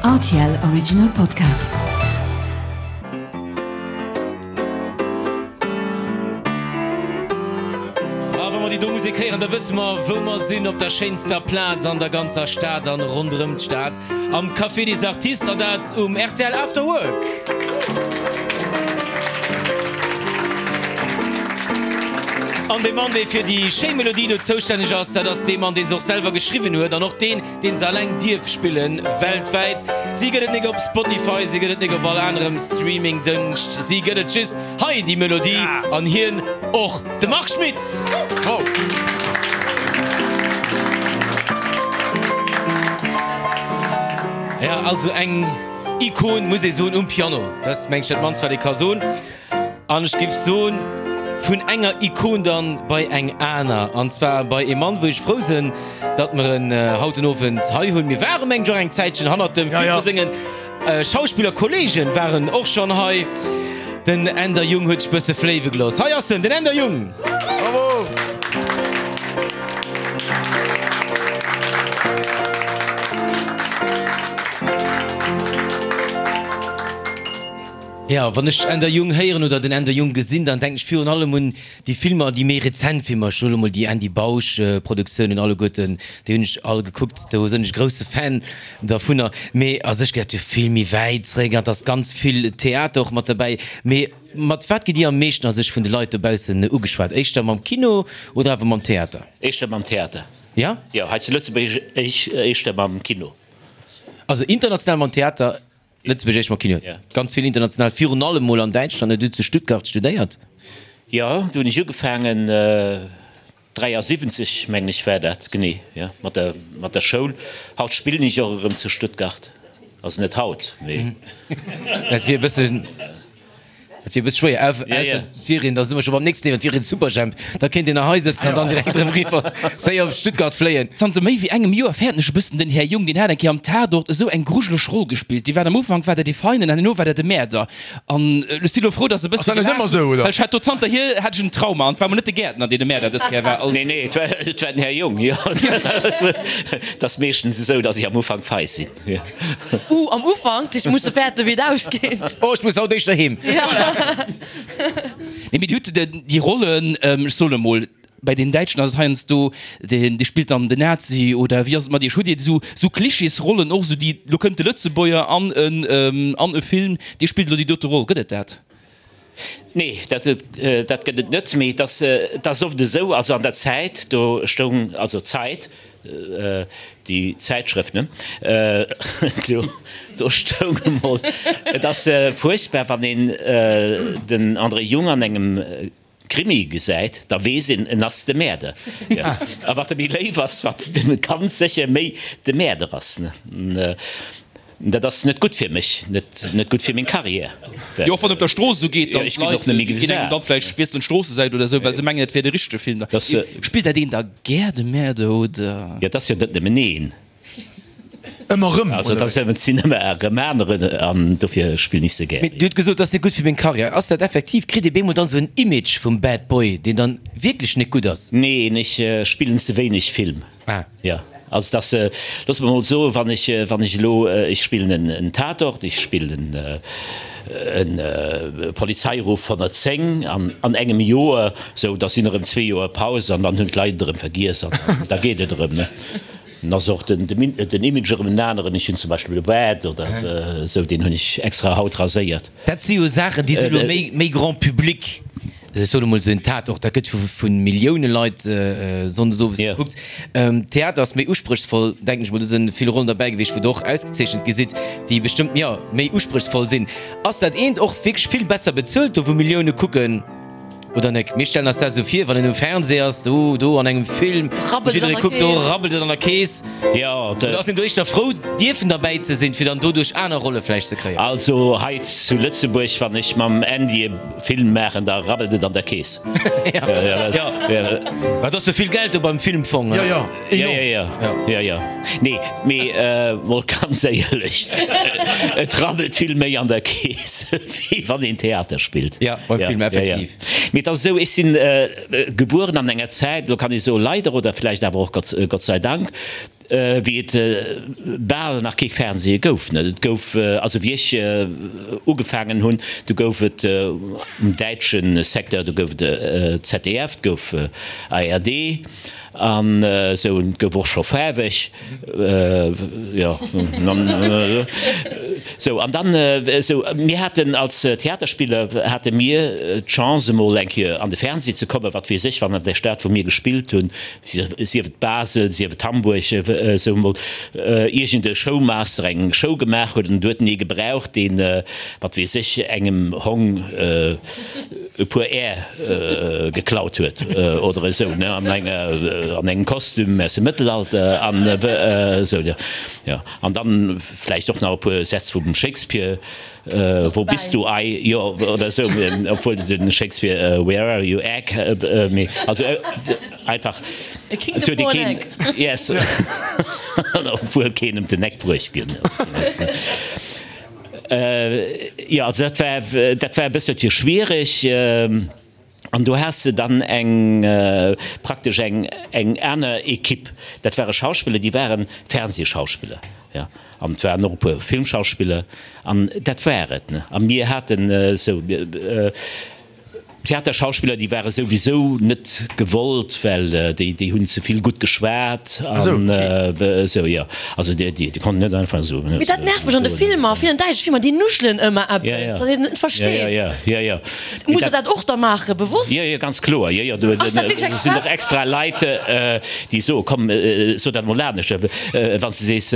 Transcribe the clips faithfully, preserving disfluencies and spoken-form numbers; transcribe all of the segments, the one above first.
R T L Original Podcast. A wa mer déi do Musek héieren, da wësse mer, wou mer sinn, op der schéinster Plaz an der ganzer Stad an ronderëm d'Stad, am Café des Artistes, an dat um R T L After Work. An dee Mann, dee fir déi schéi Melodie do zoustänneg ass, dat ass dee Mann, dee se och selwer geschriwwen huet an och deen, deen se alleng dierf spillen, weltwäit. Si gëtt et nik op Spotify, si gëtt et nik op all anerem Streaming-Dëngscht, si gëtt et just hei, déi Melodie, an hien och, de Marc Schmitz! Ja, also eng Ikon, muss ee soen, um Piano. Dat ass, meng ech, dat mannst, wat ee ka soen. An ech géif soen, vun enger Ikon dann bei eng aner, an zwar bei ee Mann, wou ech frou sinn, datt mer en haut den Owend hei hunn. Mir ware mengen ech och eng Zäitchen hannert dem, vill vu sengen Schauspillerkolleegen waren och schonn hei. Den Änder Jung huet sech bësse fléiwe gelooss. Hei ass en, den Änder Jung! Bravo! Jo, wann ech Änder Jung héieren oder den Änder Jung gesinn, dann denken ech virun allem un déi Filmer, déi méi rezent Filmer. Ech soen elo mol déi Andy Bausch Produktiounen alleguerten, déi hunn ech all gekuckt, do sinn ech grousse Fan dervunner. Mee a sech geet dat jo vill méi wäit zeréck an et ass ganz vill Theater och mat derbäi. Mee mat wat gitt Dir am meeschten a sech vun de Leit dobaussen ugeschwat? Éischter mam Kino oder awer mam Theater? Éischter mam Theater. Jo? Jo, hei zu Lëtzebuerg éischter mam Kino. Also international mam Theater, Lëtzebuerg éischt mam Kino, ganz vill international, virun allem mol an Däitschland. Hutt zu Stuttgart studéiert? Jo, do hunn ech ugefaangen, dräiasiwwenzeg mengen ech war dat, genee, jo, mat der, mat der Schoul. Haut spillen ech och erëm zu Stuttgart, also net haut, mee. Dat wier e bëssen. Dat wier e bësse schwéier, ausser et wier een, da si mer scho beim nächsten Thema, et wier een Superjhemp, da kéint een nach hei sëtzen an dann direkt erëm eriwwer séier op Stuttgart fléien. Zanter méi wéi engem Joer fäerten ech e bëssen den Här Jung. Deen hat eng Kéier am Tatort esou eng grujeleg Roll gespillt. Dee war am Ufank war dat dee Feinen an herno war dat de Mäerder. An ech si lo frou, dass e bësse gelaacht hunn, well ech hat do zanterhier hat ech en Trauma. An et war mol net de Gäertner, deen de Mäerder dës Kéier war. Nee, nee, et war, et war den Här Jung, jo. Et ass meeschtens esou, dass ech am Ufank fei sinn. Uh, am Ufank, ech muss fäerten, wéi et ausgeet. Oh, ech muss haut éischter heem. Nee, mee Dir hutt déi Rollen, ech soen emol, bei den Däitschen ass et heiansdo, deen dee spillt dann den Nazi oder wéi ass et mat Iech? Hutt Dir esou esou Klischeesrollen och, esou déi, lo kënnt de Lëtzebuerger an en an e Film, dee spillt elo déi dote Roll, gëtt et dat? Nee, dat dat gëtt et net, mee et ass et ass oft esou, also an der Zäit, do stoung, also Zeit, déi Zäitschrëft, ne, do do stoung emol, et ass fuerchtbar, wann een den André Jung an engem Krimi gesäit, da weess een, en ass de Mäerder. A wat e méi léif ass, wat de ganz sécher méi de Mäerder ass. Dat ass net gutt fir mech, net gutt fir meng Carrière. Jo, och wann op der Strooss esou geet, dann d'Leit ginn engem dann vläicht wiesselen d'Stroossesäit oder esou, well se mengen, et wier de richtege Film. Spillt dat een da gär de Mäerder, oder? Jo, et ass jo net nëmmen een. Ëmmer rëm, Also dat sinn ëmmer erëm aneren an dofir spillen ech se gär. Mee Dir hutt gesot, dat ass net gutt fir meng Karriär. Ass dat effektiv? Kritt ee bemol dann esou en Image vum Bad Boy, deen dann wierklech net gutt ass? Neen, ech spillen ze wéineg Film. Ah. Jo, also dat ass, looss mer mol soen, wann ech, wann ech elo, ech spillen en en Tatort, ech spillen en Polizeiruf honnertzéng an an engem Joer, sou, da sinn erëm zwee Joer Paus an dann hunn d'Leit et erëm vergiess an da geet et erëm, ne. Dann ass och den Image erëm en aneren. Ech hunn zum Beispill e Bart oder esou, deen hunn ech extra haut raséiert. Dat si jo Saachen, déi si elo méi grand public. Ech soen emol esou en Tatort, dat gëtt vu Millioune Leit sonndes owes gekuckt. Theater ass méi uspréchsvoll, denken ech mol. Do si vill Rollen derbäi gewiescht, wou Der och ausgezeechent gi sidd, déi bestëmmt, jo, méi uspréchsvoll sinn. Ass dat eent och wierklech vill besser bezuelt, do wou Millioune kucken? Oder nek? Mir stellen eis dat esou vir, wann een um Fernseh ass, do, do an engem Film, Rabbelt et an jidderee der kuckt, do Keess. rabbelt et an der Keess. Jo, Oder ass een do éischter frou, dierfen derbäi ze sinn, fir dann doduerch aner Rolle vläicht ze kréien? Also hei zu Lëtzebuerg, wann ech mam Andy e Film maachen, da rabbelt et an der Keess. Jo, well et ass jo vill Geld do beim Filmfong. Jo, jo, Jo, enorm. jo, jo, jo, jo. Nee, mee mol ganz éierlech, et rabbelt vill méi an der Keess, wéi wann een Theater spillt. Jo, beim Film effektiv. Mee et ass esou, ech sinn gebueren an enger Zäit, elo kann ee soe leider oder vläicht awer och Gott, Gott sei Dank, wéi et bal nach kee Fernseh gouf, ne. Et gouf, also wéi ech ugefaangen hunn, du gouf et um däitsche Secteur, do gouf et ZDF, et gouf ARD an esou, et gouf och scho faarweg, jo, esou. An dann esou, mir haten als Theaterspiller hate mir d'Chance emol eng Kéier an de Fernseh ze kommen, wat weess ech, wann an där Stad wou mir gespillt hunn, sief et Basel, sief et Hamburg, esou emol iergend e Showmaster eng Show gemaach huet an et huet en ee gebraucht, deen, wat weess ech, engem Hong e puer Är geklaut huet oder esou, ne, an enger, an engem Kostüm aus dem Mëttelalter an esou, jo. An dann vläicht och nach e puer Sätz vum Shakespeare. Wo bist du Ei, jo, oder esou, obwuel de Shakespeare Where are you egg, mee also einfach et huet ee keen, yes, obwuel keen ëm den Eck bruecht ginn ass. Jo, also dat war, dat war e bësselche schwiereg. An do has de dann eng, praktesch eng, eng aner Equipe. Dat ware Schauspiller, déi ware Fernsehschauspiller, jo. An et waren och e puer Filmschauspiller. An dat war et, ne. A mir haten esou Theaterschauspiller, déi ware souwisou net gewollt, well déi, déi hunn ze vill gutt geschwat an esou, jo. Also déi, déi konnten net einfach esou. Mee dat nervt mech an de Filmer, villen däitsche Filmer, déi nuschelen ëmmer eppes, datt een et net versteet. Jo, jo, jo. Muss der dat och da maachen, bewosst? Jo, jo, ganz kloer. Jo, jo, do sinn och extra Leit, déi soen, komm, so dat emol anescht. Wann s de sees,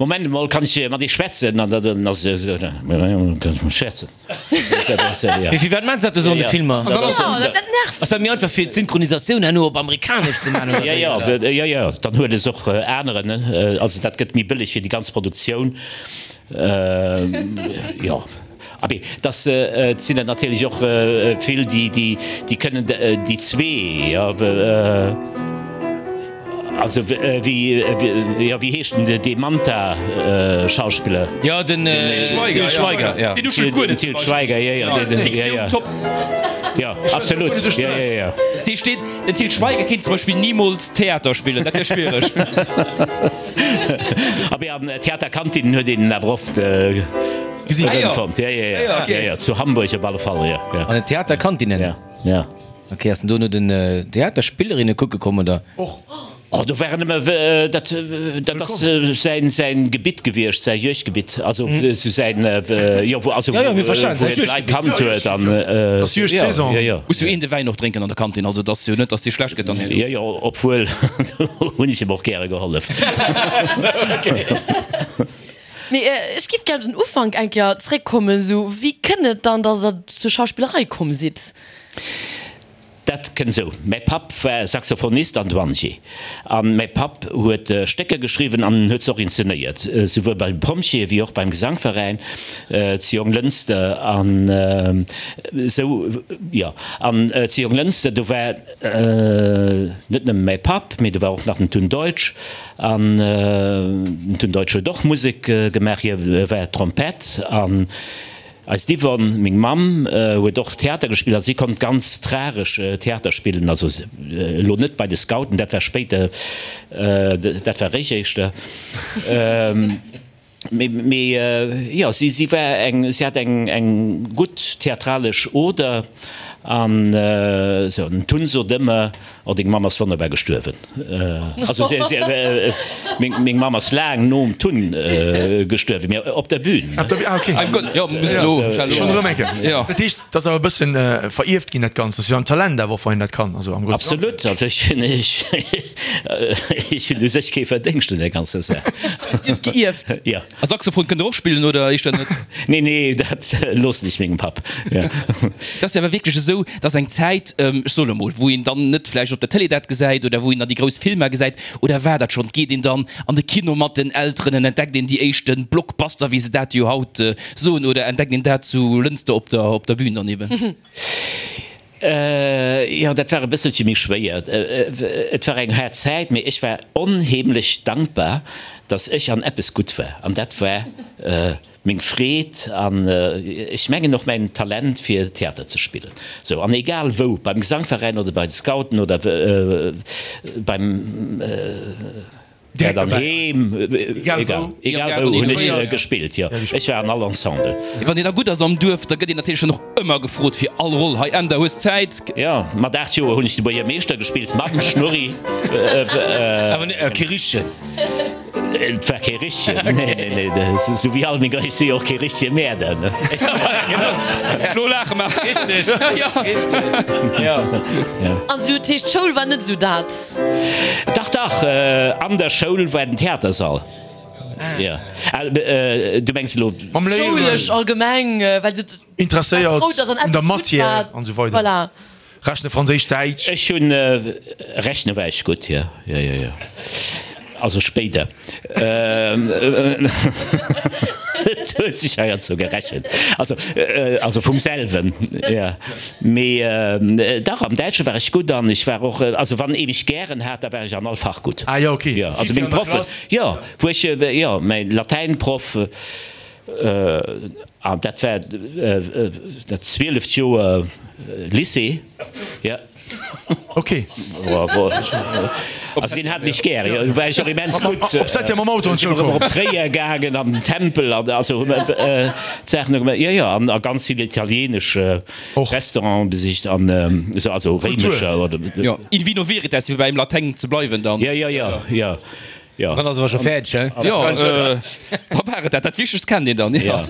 Moment emol, kann ech mat Iech schwätzen? An dann ass et esou, Kann ech mat schwätzen? Mee firwat maachen se dat esou an de Filmer? Jo, dat nervt. Ass dat méi einfach fir d'Synchronisatioun herno op Amerikanesch ze maachen oder wéi? Jo, jo, jo, jo, dann huet es och aneren, also dat gëtt méi bëlleg fir déi ganz Produktioun. Jo, abee, dass et sinn der natierlech och vill, déi, déi, déi kënnen déi zwee, jo, also wéi, jo, wéi heescht den, dee Manta-Schauspiller? Jo, den Til Schweiger, jo. Deen nuschelt guer net zum Til Schweiger, jo, jo, deen, jo, jo. Diktioun top. Jo, absolut, jo, jo, jo. Dat heescht, deen, den Til Schweiger kéint zum Beispill nimools Theater spillen, dat wär schwiereg. Abee, an Theaterkantinen huet een en awer oft erëmfonnt. Ja, ja, ja, ja, ja, zu Hamburg op alle Fall, ja, ja. An den Theaterkantinen? Ja, ja. Ok, ass en do no den Theaterspillerinne kucke komm, oder? Och. Oh, do waren nëmme, dat, dat ass säin, säin Gebitt gewiescht, säi Juegdgebitt, also sou säin, jo, wou, also Ja, ja, mir verstanen, wou säi hien d'Leit Juegdgebitt. kannt huet an, Ass Juegdsaison. jo, jo. Muss jo een de Wäin och drénken an der Kantin, also et ass jo net, dass dee schlecht gëtt dann herno. Jo, jo, obwuel, do hunn ech him och gäre gehollef. Mee ech giff gär op den Ufank eng Kéier zréckkommen, sou, wéi kënnt et dann, dass der zur Schauspillerei komm sidd? Dat kënnt esou, Mäi Papp war Saxophonist an Douanier. An mäi Papp huet Stécker geschriwwen an en huet se och inzenéiert, souwuel bei de Pompjeeë wéi och beim Gesangveräin zu Jonglënster. An esou, jo. An zu Jonglënster, do war net nëmme mäi Papp, mee do war och nach den Tun Deutsch. An den Tun Deutsch huet och Musek gemaach, hie war Trompett. An Eist Yvonne, meng Mamm, huet och Theater gespillt a si konnt ganz tragesch Theater spillen, also elo net bei de Scouten, dat war spéider, dat war réischt éischter, mee jo, si si war eng, si hat eng eng gutt theatralesch Oder an esou. Den Tun sot ëmmer, Oh, deng Mamm ass wonnerbar gestuerwen. Also meng Mamm ass laang nom Tun gestuerwen, mee op der Bühn. Ah, okay. Schonn erëm eng Kéier. Dat heescht, et ass awer e bëssen verierft ginn, dat Ganzt. Dat ass jo en Talent awer och, wann een dat kann. Also am Grousse Ganzen. Absolut. Also ech hunn, ech hunn u sech kee Verdéngscht un där ganzer Saach. Dir hutt geierft. Jo. A Saxophon kënnt Der och spillen, oder éischter net? Nee, nee, dat loossen ech mengem Papp. Dat ass jo awer wierklech esou, dass eng Zäit, ech soen emol, wou een dann net vläicht op der Télé dat gesäit oder wou een dann déi grouss Filmer gesäit, oder war dat schonn, geet een dann an de Kino mat den Elteren an entdeckt een déi éischte Blockbuster, wéi se dat jo haut soen, oder entdeckt een dat zu Lënster op der op der Bühn dann eben? Jo, dat war e bësselche méi schwéier. Et war eng haart Zäit, mee ech war onheemlech dankbar, dass ech an eppes gutt war, an dat war meng Freed an ech mengen och mäin Talent fir Theater ze spillen. Sou, an egal wou, beim Gesangveräin oder bei de Scouten oder beim War dann heem, egal, egal wou hunn ech gespillt, jo. Ech war an all Ensemble. Wann een da gutt ass am Duerf, da gëtt een natierlech dann och ëmmer gefrot fir all Roll. Hei Änder, hues Zäit? Jo, mat aacht Joer hunn ech de Buergermeeschter gespillt, mam Schnurri. Awer kee richtegen. Et war kee richtegen, nee, nee, nee, sou wéi all meng, ech si jo och kee richtege Mäerder, ne. Lo laache mer. Richteg, richteg, jo. An sou, dat heescht, d'Schoul war net sou dat? Dach, dach, an der Schoul war den Theatersall. Jo. Du mengs elo. Mam Léieren. Schoulesch allgemeng, well se. Interesséiert un der Matière an esou weider. Voilà. Rechne, Franséisch, Däitsch. Ech hunn, rechne war ech gutt, jo, jo, jo, jo. Also spéider. Et huet sech heiansdo gerechent. Also, also vum selwen, jo. Mee dach, am Däitsche war ech gutt an ech war och, also wann ee mech gären hat, da war ech an all Fach gutt. Ah jo, ok. Jo, also meng Proffen, jo, wou ech, jo, mäin Latäinproff, an dat war dat zwieleft Joer Lycée, jo. Ok. Also deen hat mech gär, jo, do war ech och immens gutt. Op Septième mam Auto an d'Schoul komm. Op Tréier gaangen, an den Tempel an also hu mer d'Saachen do gemaach. Jo, jo, an a ganz vill italienesch Restauranten besicht an esou, also réimescher oder. Jo, in vino veritas, fir beim Latäin ze bleiwen dann. Jo, jo, jo, jo. Jo. Dann ass awer scho fäerdeg, he? Jo, da war et dat. Dat Wichtegst kennt een dann, jo.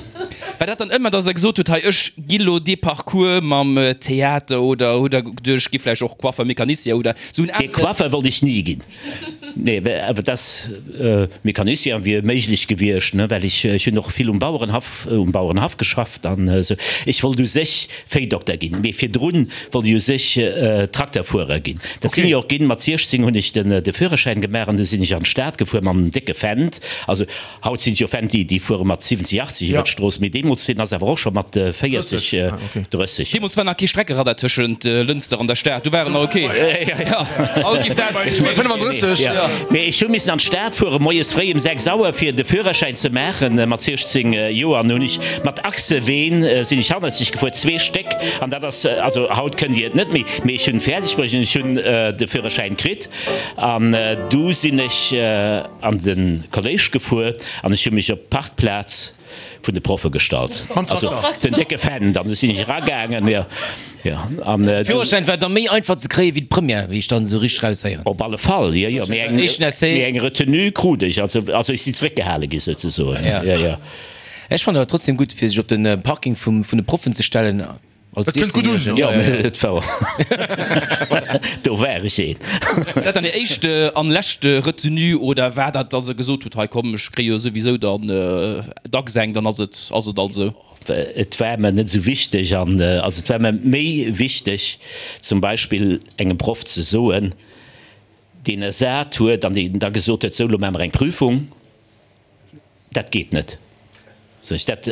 War dat dann ëmmer, dass Der gesot hutt, hei ech gi lo dee Parcours mam Theater oder hutt Der geduecht, ech gi vläicht och Coiffer, Mecanicien oder sou en Nee, aneren? Coiffer wollt ech ni ginn. Nee, awer dass Mecanicien wier méiglech gewiescht, ne, well ech, ech hunn och vill um Bauerenhaff, um Bauerenhaff geschafft an esou. Ech wollt u sech Véidokter ginn, mee virdrun wollt ech u sech Trakterfuerer ginn. Dat sinn ech och ginn. Mat siechzéng hunn ech de Führerschäin gemaach an du sinn ech an d'Stad gefuer mam décke Fendt. Also haut sinn et jo Fendt, déi fuere mat siwwenzeg, achtzeg iwwer d'Strooss, mee deemools, deen ass awer och scho mat véierzeg, drësseg. Deemools war nach kee Streckeradar tëschent Lënster an der Stad, do war en nach ok. Haut giff dat. Mee ech hu missen an d'Stad fuere moies fréi um sechs Auer fir de Führerschäin ze maachen mat siechzéng Joer an hunn ech mat Achseween sinn ech hannerzeg gefuer, zwee Stéck an dat ass, also haut kënnt Dir et net méi, mee ech hunn fäerdeg bruecht an ech hunn de Führerschäin kritt an du sinn ech an de Kolléisch gefuer an ech hu mech op d'Parkplaz vun de Proffe gestallt, also den décke Fendt an du sinn ech eragaangen, jo, jo an De Führerschäin war da méi einfach ze kréie wéi d'Première, wéi ech dann esou richteg raushéieren. Op alle Fall, jo, jo, mee eng, mee eng Retenue krut ech, also, also ech sinn zeréckgehale gi souzesoen, jo, jo. Ech fannen awer trotzdem gutt fir sech op den Parking vum vun de Proffen ze stellen als Dat kënnt gutt un. Jo, et war do war ech een. War dat dann Är éischt an lescht Retenue oder war dat dass Der gesot hutt, hei komm ech kréie jo souwisou dann dacks eng, dann ass et ass et alt esou? Et war mer net esou wichteg an also et war mer méi wichteg zum Beispill engem Proff ze soen, deen ersat huet an deen da gesot huet, sou lo maache mer eng Prüfung. Dat geet net, sot ech, dat,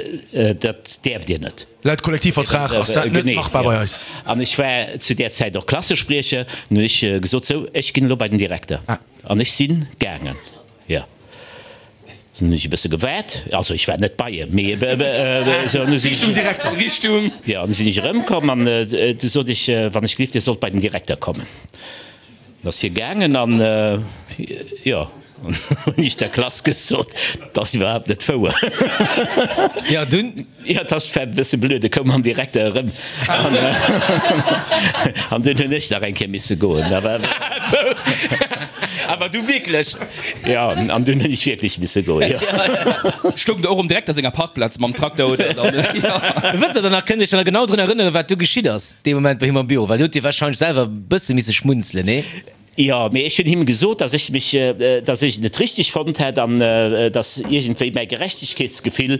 dat däerft Dir net. Laut Kollektivvertrag ass dat net machbar bei eis. An ech war zu där Zäit och Klassespriecher. Dann hunn ech gesot, Sou, ech ginn elo bei den Direkter. An ech si gaangen, jo. Dann hunn ech e bësse gewaart, also ech war net bei em, mee esou, an du sinn ech. Richtung Direkter. Richtung. Jo, an du sinn ech erëmkomm an du sot ech, Wann ech gelift, Dir sollt bei den Direkter kommen. Dann ass hie gaangen an, jo, hunn ech der Klass gesot, dat ass iwwerhaapt net wouer. Jo, dunn. Jo, dat ass e bësse blöd, e koum mam Direkter erëm an, an dunn hunn ech nach eng Kéier misse goen. Awer. Sou, awer du wierklech? Jo, an dunn hunn ech wierklech misse goen, jo. Stoung der och um Direkter senger Parkplaz mam Trakter, oder? Jo. Wësst der dann nach, kënnt Iech dann nach genau drun erënneren, wat du geschitt ass? Dee Moment bei him am Büro, well do huet Dir wahrscheinlech selwer e bësse misse schmunzelen, nee? Jo, mee ech hunn him gesot, dass ech mech, dass ech et net richteg fonnt hätt an dass iergendwéi mäi Gerechtegkeetsgefill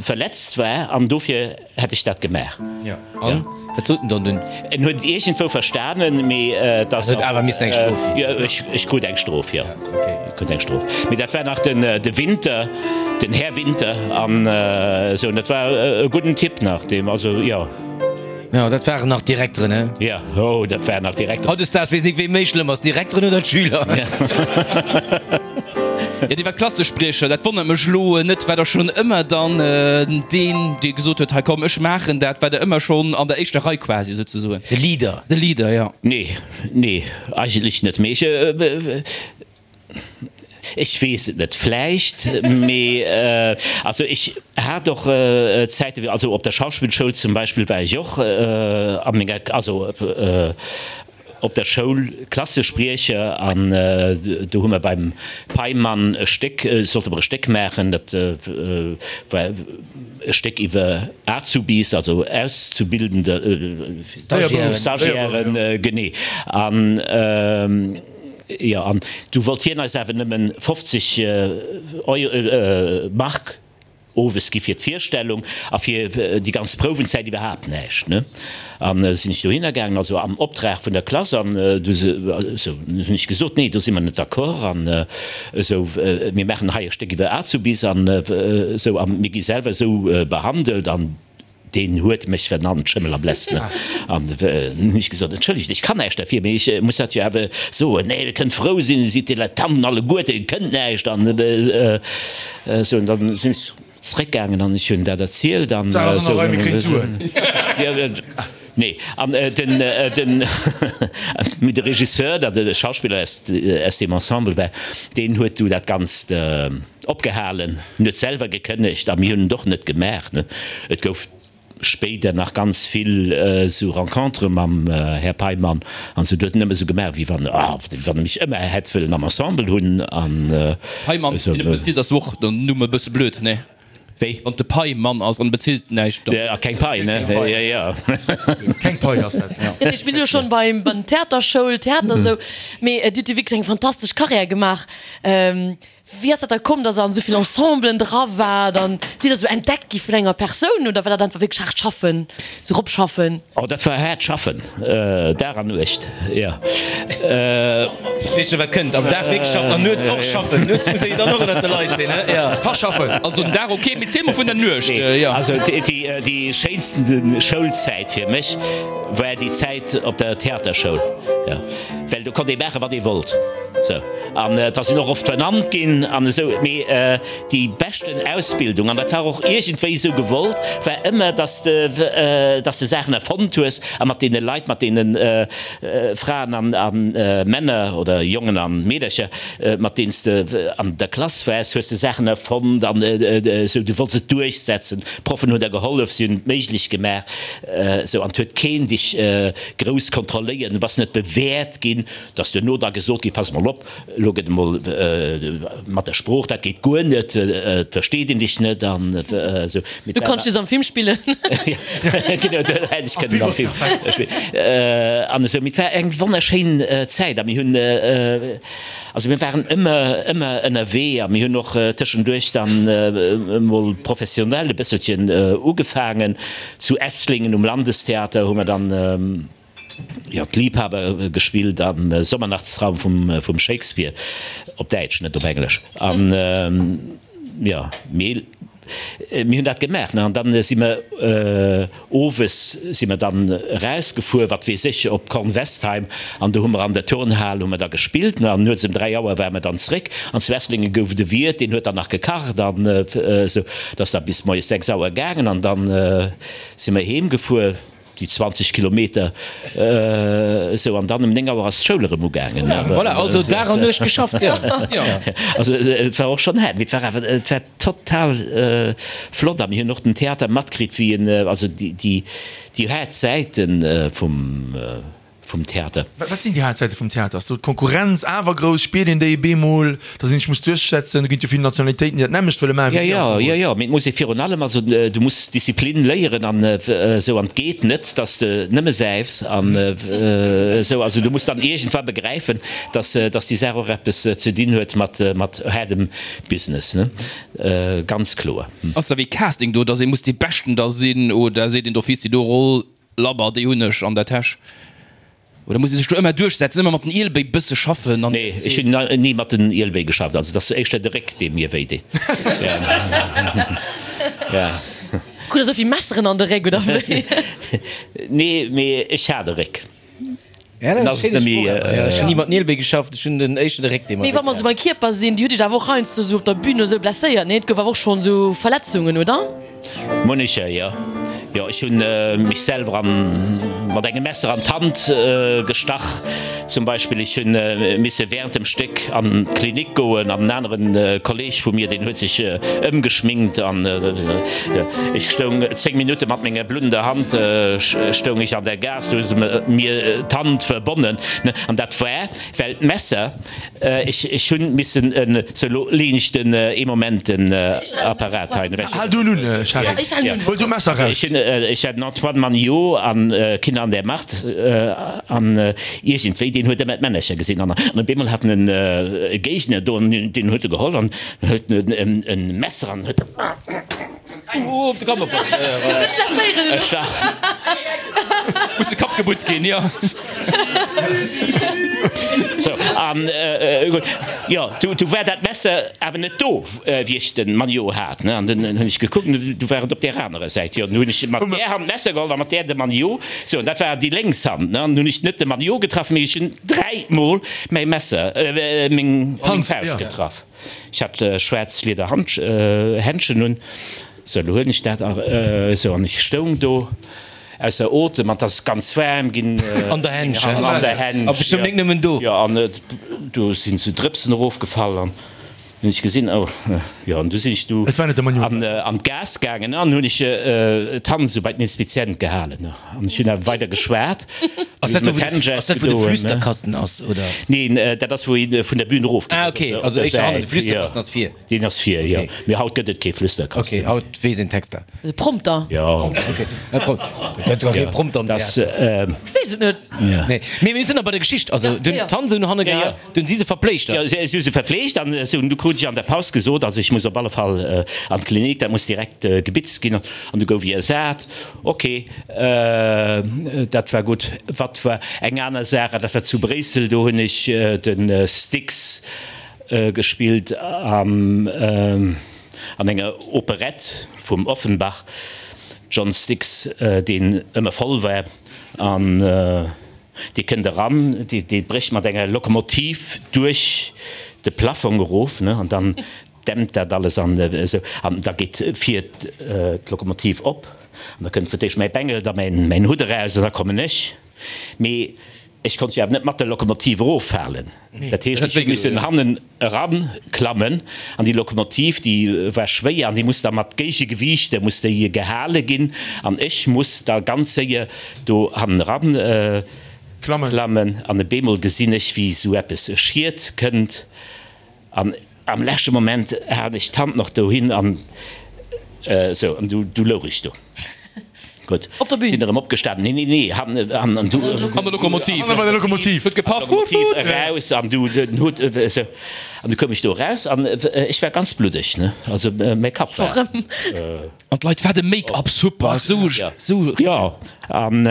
verletzt war an dofir hätt ech dat gemaach. Jo, an wat sot en dann dunn? En huet et iergendwou verstanen, mee dass. Et huet awer missen eng Strof ginn. Jo, ech, ech krut eng Strof, jo. Ech krut eng Strof. Mee dat war nach den, de Winter, den Här Winter an esou, an dat war e gudden Typ nach, deem, also jo. Jo, dat waren nach d'Direkteren, he? Jo, oh, dat waren nach d'Direkteren. Hautdesdaags weess nik, wee méi schlëmm ass, d'Direkteren oder d'Schüler. Jo, dir waart Klassespriecher, dat wonnert mech elo net. War der schonn ëmmer dann deen, dee gesot huet, hei komm, ech maachen dat? War der ëmmer schonn an der éischter Rei quasi souzesoen? De Leader. De Leader, jo. Nee, nee, eigentlech net. Mee ech, Ech weess et net, vläicht, mee also ech hat och Zäiten, also op der Schauspillschoul zum Beispill war ech och a menger, also op der Schoul Klassespriecher an do hu mer beim Peimann e Stéck, sollte mer e Stéck maachen, dat war e Stéck iwwer Azubis, also Auszubildende, Stagiairen, genee, an jo, an du wollt hien eis awer nëmmen fofzeg Euro, Mark owes gi fir d'Virstellung a fir déi ganz Prouwenzäit iwwerhaapt näischt, ne. An sinn ech dohinner gaangen, also am Optrag vun der Klass, an du esou hunn ech gesot, nee, do si mer net d'accord an esou, mir maachen hei e Stéck iwwer Azubis an esou a mir gi selwer esou behandelt an Deen huet mech vernannt, Schëmmel a Bless, ne? An hunn ech gesot, Entschëllegt, ech kann näischt derfir, mee ech muss dat jo awer soen. Nee, Dir kënnt frou sinn, Dir sidd Dilettanten alleguerten, Dir kënnt näischt. An esou. An dann sinn ech zréckgaangen an ech hunn dat erzielt an D'Saach ass an der Rei, mir kréien d'Suen. Nee, an den, den, mee de Regisseur, dat e Schauspiller aus, aus deem Ensemble war, deen huet du dat Ganzt opgehalen, en huet selwer gekënnegt a mir hunn et och net gemaach, ne. Et gouf spéider nach ganz vill esou Rencontere mam Här Peimann an esou, do huet en ëmmer esou gemaach, wéi wann, ah, wéi wann e mech ëmmer hätt wëllen am Ensemble hunn an Peimann, esou. Deen e bezilt ass och den Numm e bësse blöd, ne? Wéi? Wann de Pai Mann ass an bezilt näischt, dann. A keng Pai, ne? Jo, jo. Keng Pai ass dat, jo. Dat heescht, mir si jo schonn beim Theaterschoul, Theater esou, mee Dir hutt jo wierklech eng fantastesch Karriär gemaach. Wéi ass dat da komm, dass Der an esou vill Ensemblen dra waart an sidd Der esou entdeckt gi vun enger Persoun oder war dat einfach wierklech haart schaffen, sou ropschaffen? Oh, dat war haart schaffen, Dag an Nuecht, jo. Ech weess scho wat kënnt, am Dag wierklech schaffen an nuets och schaffen. Nuets muss ee jo dann och ënnert de Leit sinn, he? Jo. Verschaffen. Also den Dag ok, mee ziel mol vun der Nuecht, jo. Also déi schéinsten Schoulzäit fir mech war déi Zäit op der Theaterschoul, jo, well do konnt ee maachen, wat ee wollt, sou. An et ass een och oft vernannt ginn an esou, mee déi beschten Ausbildung, an dat war och iergendwéi esou gewollt, war ëmmer, dass de, dass de Saachen erfonnt hues a mat deene Leit, mat deene Fraen an a Männer oder Jongen a Meedercher, mat deenen s de an der Klass waars, hues de Saachen erfonnt an esou, du wollts et duerchsetzen. D'Proffen hunn der gehollef, si hunn et méiglech gemaach, esou, an et huet keen dech grouss kontrolléiert, du bass net bewäert ginn. Et ass duerno da gesot ginn, Pass mol op, elo gëtt emol mat der Sprooch, dat geet guer net, et versteet een dech net an esou. Du kanns just am Film spillen. Genau, do hätt ech kënnen am Film spillen. An esou. Mee et war eng wonnerschéin Zäit a mir hunn, also mir waren ëmmer, ëmmer ënnerwee a mir hunn och tëschenduerch dann emol professionell e bësselchen ugefaangen. Zu Esslingen um Landestheater hu mer dann, Jo, d'Liebhaber gespillt am Sommernachtstraum vum Shakespeare, op Däitsch, net op Englesch. An jo, mee mir hunn dat gemaach, ne. An dann si mer owes si mer dann erausgefuer, wat weess ech, op Kornwestheim, an do hu mer an der Turnhal hu mer da gespillt, ne. An nuets ëm dräi Auer ware mer dann zeréck. An zu Esslingen gouf et e Wiert, deen huet dann nach gekacht an esou. Dat ass da bis moies sechs Auer gaangen an dann si mer heem gefuer. Déi zwanzeg Kilometer esou, an dann um néng Auer ass d'Schoul erëm ugaangen. Voilà, also Dag an Nuecht geschafft, jo. Also et war och schonn haart, mee et war awer, et war total flott a mir hunn och den Theater matkritt, wéi en, also déi, déi haart Säite vum. vum Theater. Wat sinn déi Haaptsäite vum Theater? Ass do d'Konkurrenz awer grouss? Spiert een déi bemol, datt een sech muss duerchsetzen? Do ginn et jo vill Nationalitéiten, déi dat nämmlecht wëlle maachen wéi dir am Fong. Jo, jo, jo, mee et muss ee virun allem, also du muss Disziplin léieren an esou, an et geet net, datt s de nëmme säifs an esou. Also du muss dann iergendwa begräifen, datt, datt déi Saach och eppes ze dinn huet mat, mat haardem Business, ne, ganz kloer. Ass da wéi Casting do, datt ee muss dee Beschten da sinn oder seet een d'office déi do Roll Labber, déi hunn ech an der Täsch. Oder muss ee sech do ëmmer duerchsetzen, ëmmer mat den Ielbéi bësse schaffen an. Nee, ech hunn ni mat den Ielbéi geschafft. Also et ass éischter de Réck, dee mir wéi deet. Ja. Krut der esou vill Messeren an de Réck, oder wéi? Nee, mee ech hat e Réck. Ja, dat ass eng schéin Sprooch. Ech hunn ni mat Nielbéi geschafft, ech hunn den éischter de Réck, dee mer Mee wa mer esou beim Kierper sinn, Dir hutt Iech awer och heiansdo esou op der Bühn oder esou blesséiert, nee? Et gouf awer och schonn esou Verletzungen, oder? Munnecher, jo. Jo, ech hunn mech selwer an mat engem Messer an d'Hand gestach zum Beispill. Ech hunn misse während dem Stéck an d'Klinik goen an en aneren Kolleg vu mir, deen huet sech ëmgeschminkt an ech stoung zéng Minutte mat menger bluddender Hand stoung ech an der Gaass, do hu se mir d'Hand verbonnen an dat war well d'Messer, ech ech hunn missen en, sou elo leeën ech den ee Moment den Apparat hei ewech. Hal du en un, Charel, huel du d'Messer eraus. Ech hunn, ech war den Antoine Maniot an Kinder an der Macht an iergendwéi, deen huet ëmmer d'Männercher gesinn an an op eemol hat en e Géigner do an deen huet e geholl an huet en en Messer an huet. Oh, op de Kapp oppassen. Net blesséieren elo. Ech war. Muss de Kapp gebutt ginn, jo. Sou, an gutt, jo, du, du war dat Messer awer net do, wéi ech de Maniot hat, ne? An dunn hunn ech gekuckt, an du war et op där anerer Säit. Jo, dunn hunn ech mat där Hand d'Messer geholl a mat där de Maniot. Sou, an dat war déi lénks Hand, ne? An dunn hunn ech net de Maniot getraff, mee ech hunn dräimol mäi Messer, meng, meng Fauscht getraff. Ech hat schwaarz Lieder Händschen un, sou elo huelen ech dat a sou an ech stoung do ausser Otem an 't ass ganz waarm ginn. An der Händschen? An der Händsch, A bestëmmt net nëmmen do. Jo, an do sinn sou Drëpsen erofgefall an hunn ech gesinn, oh jo, an du sinn ech du Et war net de Manuel. an an d'Gaass gaangen an hunn ech d'Hand sou bei den Inspizient gehalen an ech hunn awer weider geschwat. Ass dat do, wou de, ass dat wou de Flüsterkasten ass, oder? Neen, dat ass wou een vun der Bühn erof geet. Ah ok, also éischter hannen, de Flüsterkasten ass vir. Deen ass vir, jo. Mee haut gëtt et kee Flüsterkasten. Ok, haut weess een d'Texter. De Prompter. Jo. Ok, e Prom, gëtt jo kee Prompter am Theater. Ech weess et net. Nee, mee mir sinn nach bei der Geschicht. Also dunn d'Hand esou no hanne gehal, dunn si se verpfleegt. Jo, si hu se verpfleegt an esou. Du krut ech an der Paus gesot, also ech muss op alle Fall an d'Klinik, dat muss direkt gebitzt ginn. An du gouf ech ersat. Ok. Dat war gutt. Wat war eng aner Saach, dat war zu Bréissel, do hunn ech de Styx gespillt an enger Operett vum Offenbach, John Styx, deen ëmmer voll war an dee kënnt eran, dee brécht mat enger Lokomotiv duerch de Plafong erof, ne, an dann dämpt dat alles an esou an da geet vir d'Lokomotiv op an da kënnt fir d'éischt mäi Bengel, da mäin Hutt eraus an da kommen ech. Mee ech konnt jo awer net mat der Lokomotiv eroffalen. Dat heescht, ech hu missen hannen eranklammen an déi Lokomotiv, déi war schwéier an déi muss da mat Géigegewiichter muss déi gehale ginn an ech muss da ganz séier do hannen eran klammen an op eemol gesinn ech, wéi esou eppes Schiet kënnt an Am leschte Moment hat ech d'Hand nach dohin an esou, an du, du louch ech do. Gutt, Op der Bühn? sinn erëm opgestanen. Nee, nee, nee, han, an, an du. An der Lokomotiv. An der Lokomotiv. Huet gepaff. Hup, Lokomotiv hup. eraus an du den Hutt esou. An du koum ech do eraus an ech war ganz bluddeg, ne, also mäi Kapp war. Erëm. An d'Leit, Wat e Make-up, super, esou, esou. Jo, an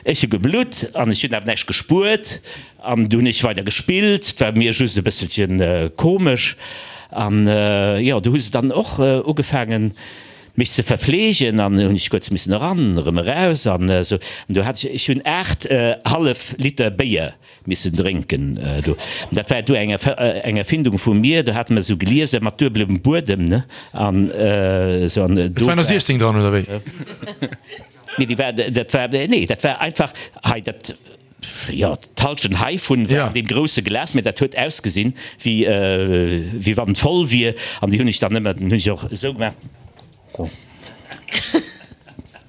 ech hu geblutt an ech hunn awer näischt gespuert. An du hunn ech weider gespillt, et war mir just e bësselchen komesch. An jo, du hu se dann och ugefaangen mech ze verfleegen an hunn ech kuerz missen eran, erëm eraus an esou. An du hat ech, ech hunn aacht hallef Liter Béier missen drénken do. Dat war du eng eng Erfindung vu mir, do hate mer esou Glieser mat duebelem Buedem, ne, an esou an Et do waren der war. siechzéng dran, oder wéi? Nee, déi war, dat war, nee, dat war einfach hei dat. Jo, d'Halschent heivun war an deem grousse Glas, mä dat huet ausgesinn, wéi wéi wann et voll wier. An déi hunn ech dann ëmmer, dann hunn ech och esou gemaach.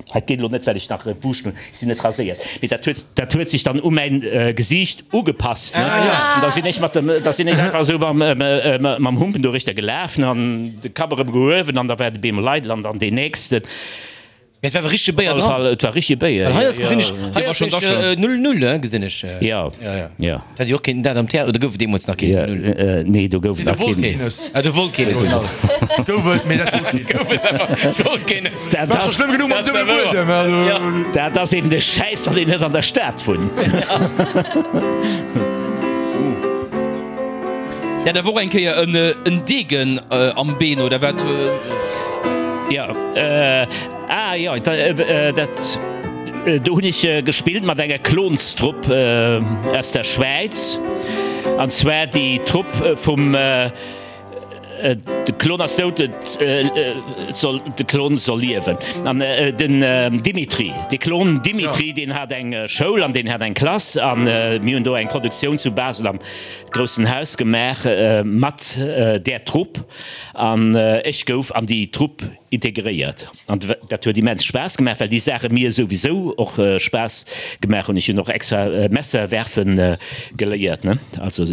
Hei, et geet elo net, well ech nach Buuschten hunn, ech sinn net raséiert. Mee dat huet, dat huet sech dann u mäin Gesiicht ugepasst, ne. An da sinn ech mat dem, da sinn ech einfach esou mam, mam Humpen dorichter gelaf, ne, an de Kapp erëm gehuewen an da war de bemol eidel an dann deen nächsten. Mee et war awer richtege Béier Op alle dran. Fall, et war richtege Béier. Well hei ass, gesinn ech, hei war ass schon nämlech da null null, he, gesinn ech. Jo, Ja, ja. jo. Dat hätt jo och kéinten dat am Theater, oder gouf et deemools nach keen null null? Nee, do gouf et nach Do wollt keen. keen es. Ah, do wollt keen es, genau. Gouf et, mee dat wollt keen. Gouf es awer, et wollt keen es. Dat War scho ass, schlëmm genuch mam duebele Buedem, also. dat ass eben de Schäiss, wann een net an der Stad wunnt. Der hat awer och eng Kéier en Degen am Been, oder wat? Jo, ah jo, dat, do hunn ech gespillt mat enger Klonstrupp aus der Schwäiz, an zwar déi Trupp vum De Klon ass dout, et soll, de Klon soll liewen. An den Dimitri, de Klon Dimitri, deen hat eng Schoul an deen hat eng Klass an mir hunn do eng Produktioun zu Basel am groussen Haus gemaach mat där Trupp an ech gouf an déi Trupp integréiert. An dat huet immens Spaass gemaach, well déi Saache mir souwisou och Spaass gemaach hunn. Ech hunn och extra Messer werfen geléiert, ne, also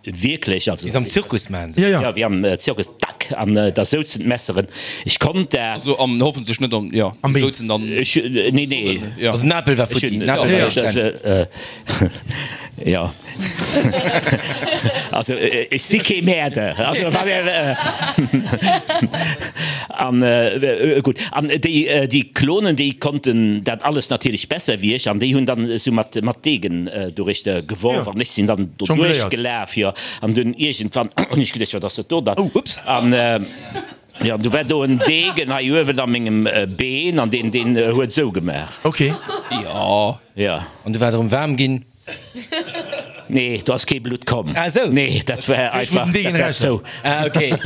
wierklech, also. Wéi se am Zirkus maachen se. Jo, jo. Jo, wéi am Zirkus, tack, an da souzen d'Messeren. Ech konnt dat. Also am, hoffentlech net am, jo, Am déi Bee. souzen dann. Ech, nee, nee. Jo. Also den Apel war futti, den Apel war duerchtrennt. Jo. Also ech si kee Mäerder. Also wann Är, an gutt. An déi, déi Klonen, déi konnten dat alles natierlech besser wéi ech an déi hunn dann esou mat, mat Degen doruechter geworf an ech sinn dann doduerch gelaf, jo. An dunn iergendwann hunn ech geduecht, wat ass dat do dann? An jo, du war do en Degen hei uewen a mengem Been an deen, deen huet esou gemaach. Ok. Jo. Jo. An du war et erëm waarm ginn? Nee, do ass kee Blutt komm. Ah esou. Nee, dat war einfach, dat war zou. Ah ok.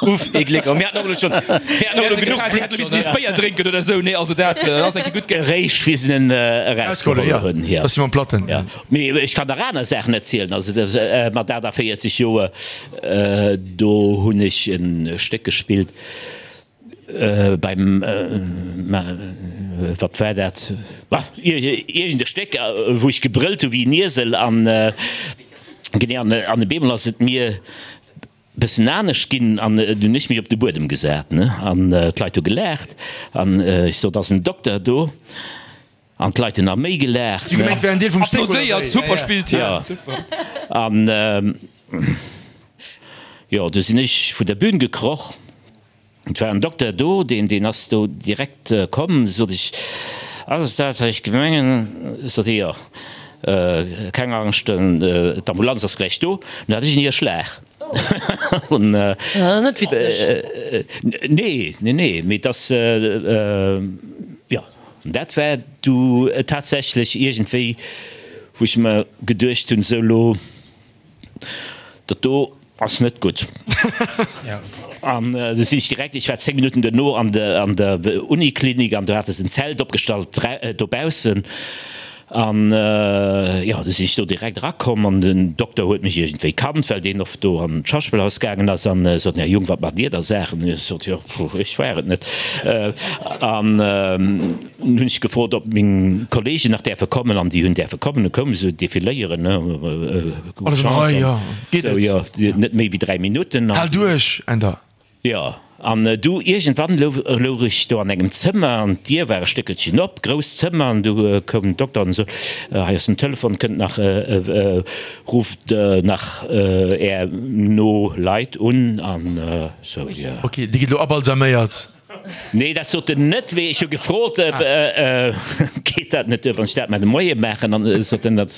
Uff, ee Gléck. Oh, mir haten och elo schonn, mir haten och elo genuch Dir hätt Blutt missen nees Béier drénken oder esou. Nee, also dat ass eng Kéier gutt gaangen. Eréischt wéi se en erausgeholl hunn, jo. Dass si mam Platten. Jo, mee ech kann nach aner Saachen erzielen. Also mat achtundvierzeg Joer, do hunn ech e Stéck gespillt beim, wat war dat, iergend e Stéck, wou ech gebrëllt hu wéi en Iesel an genee an op eemol ass et mir bëssen anescht ginn an dunn hunn ech mech op de Buedem gesat, ne, an d'Leit hu gelaacht an ech sot, ass en Dokter do? An d'Leit hunn nach méi gelaacht. Si hu gemengt, wär en Deel vum Stéck oder wéi? Applaudéiert, super spillt hien, Ja. super. An jo, du sinn ech vun der Bühn gekroch. Et war en Dokter do, deen, deen ass do direkt komm. Sot ech, Ass et dat, wat ech gemengen? Sot hie, Jo, keng Angscht, d'Ambulanz ass gläich do. Dunn hat ech en Hierschlag. An, Net witzeg. Nee, nee, nee, mee et ass, jo. Dat war du tatsächlech iergendwéi, wou ech mer geduecht hunn, sou lo, dat do ass net gutt. An du sinn ech direkt, ech war zéng Minutten duerno an der an der Uniklinik an do hate se en Zelt opgestallt dobaussen. An jo, du sinn ech do direkt erakomm an den Dokter huet mech iergendwéi kannt, well deen oft do an d'Schauspillhaus gaangen ass an sot, Här Jung, wat maacht Dir da Saachen? Ech sot, Jo, ech war et net. An dunn hunn ech gefrot, ob meng Kollegen nach däerfe kommen an déi hunn däerfe kommen. Du koume se defiléieren, ne, gutt Chance an esou, jo, net méi wéi dräi Minutten. Hal duerch, Änder! Jo, an du iergendwann louch ech do an engem Zëmmer an d'Dier war e Stéckelchen op, grousst Zëmmer, an du koum den Dokter an sot, hei ass den Telefon, kënnt nach, rufft nach Är no Leit un an sou, jo. Ok, Dir gitt elo abalsaméiert? Nee, dat sot en net, mee ech hu gefrot, geet dat net duer, wann ech dat mar de Moie maachen? An sot en, dat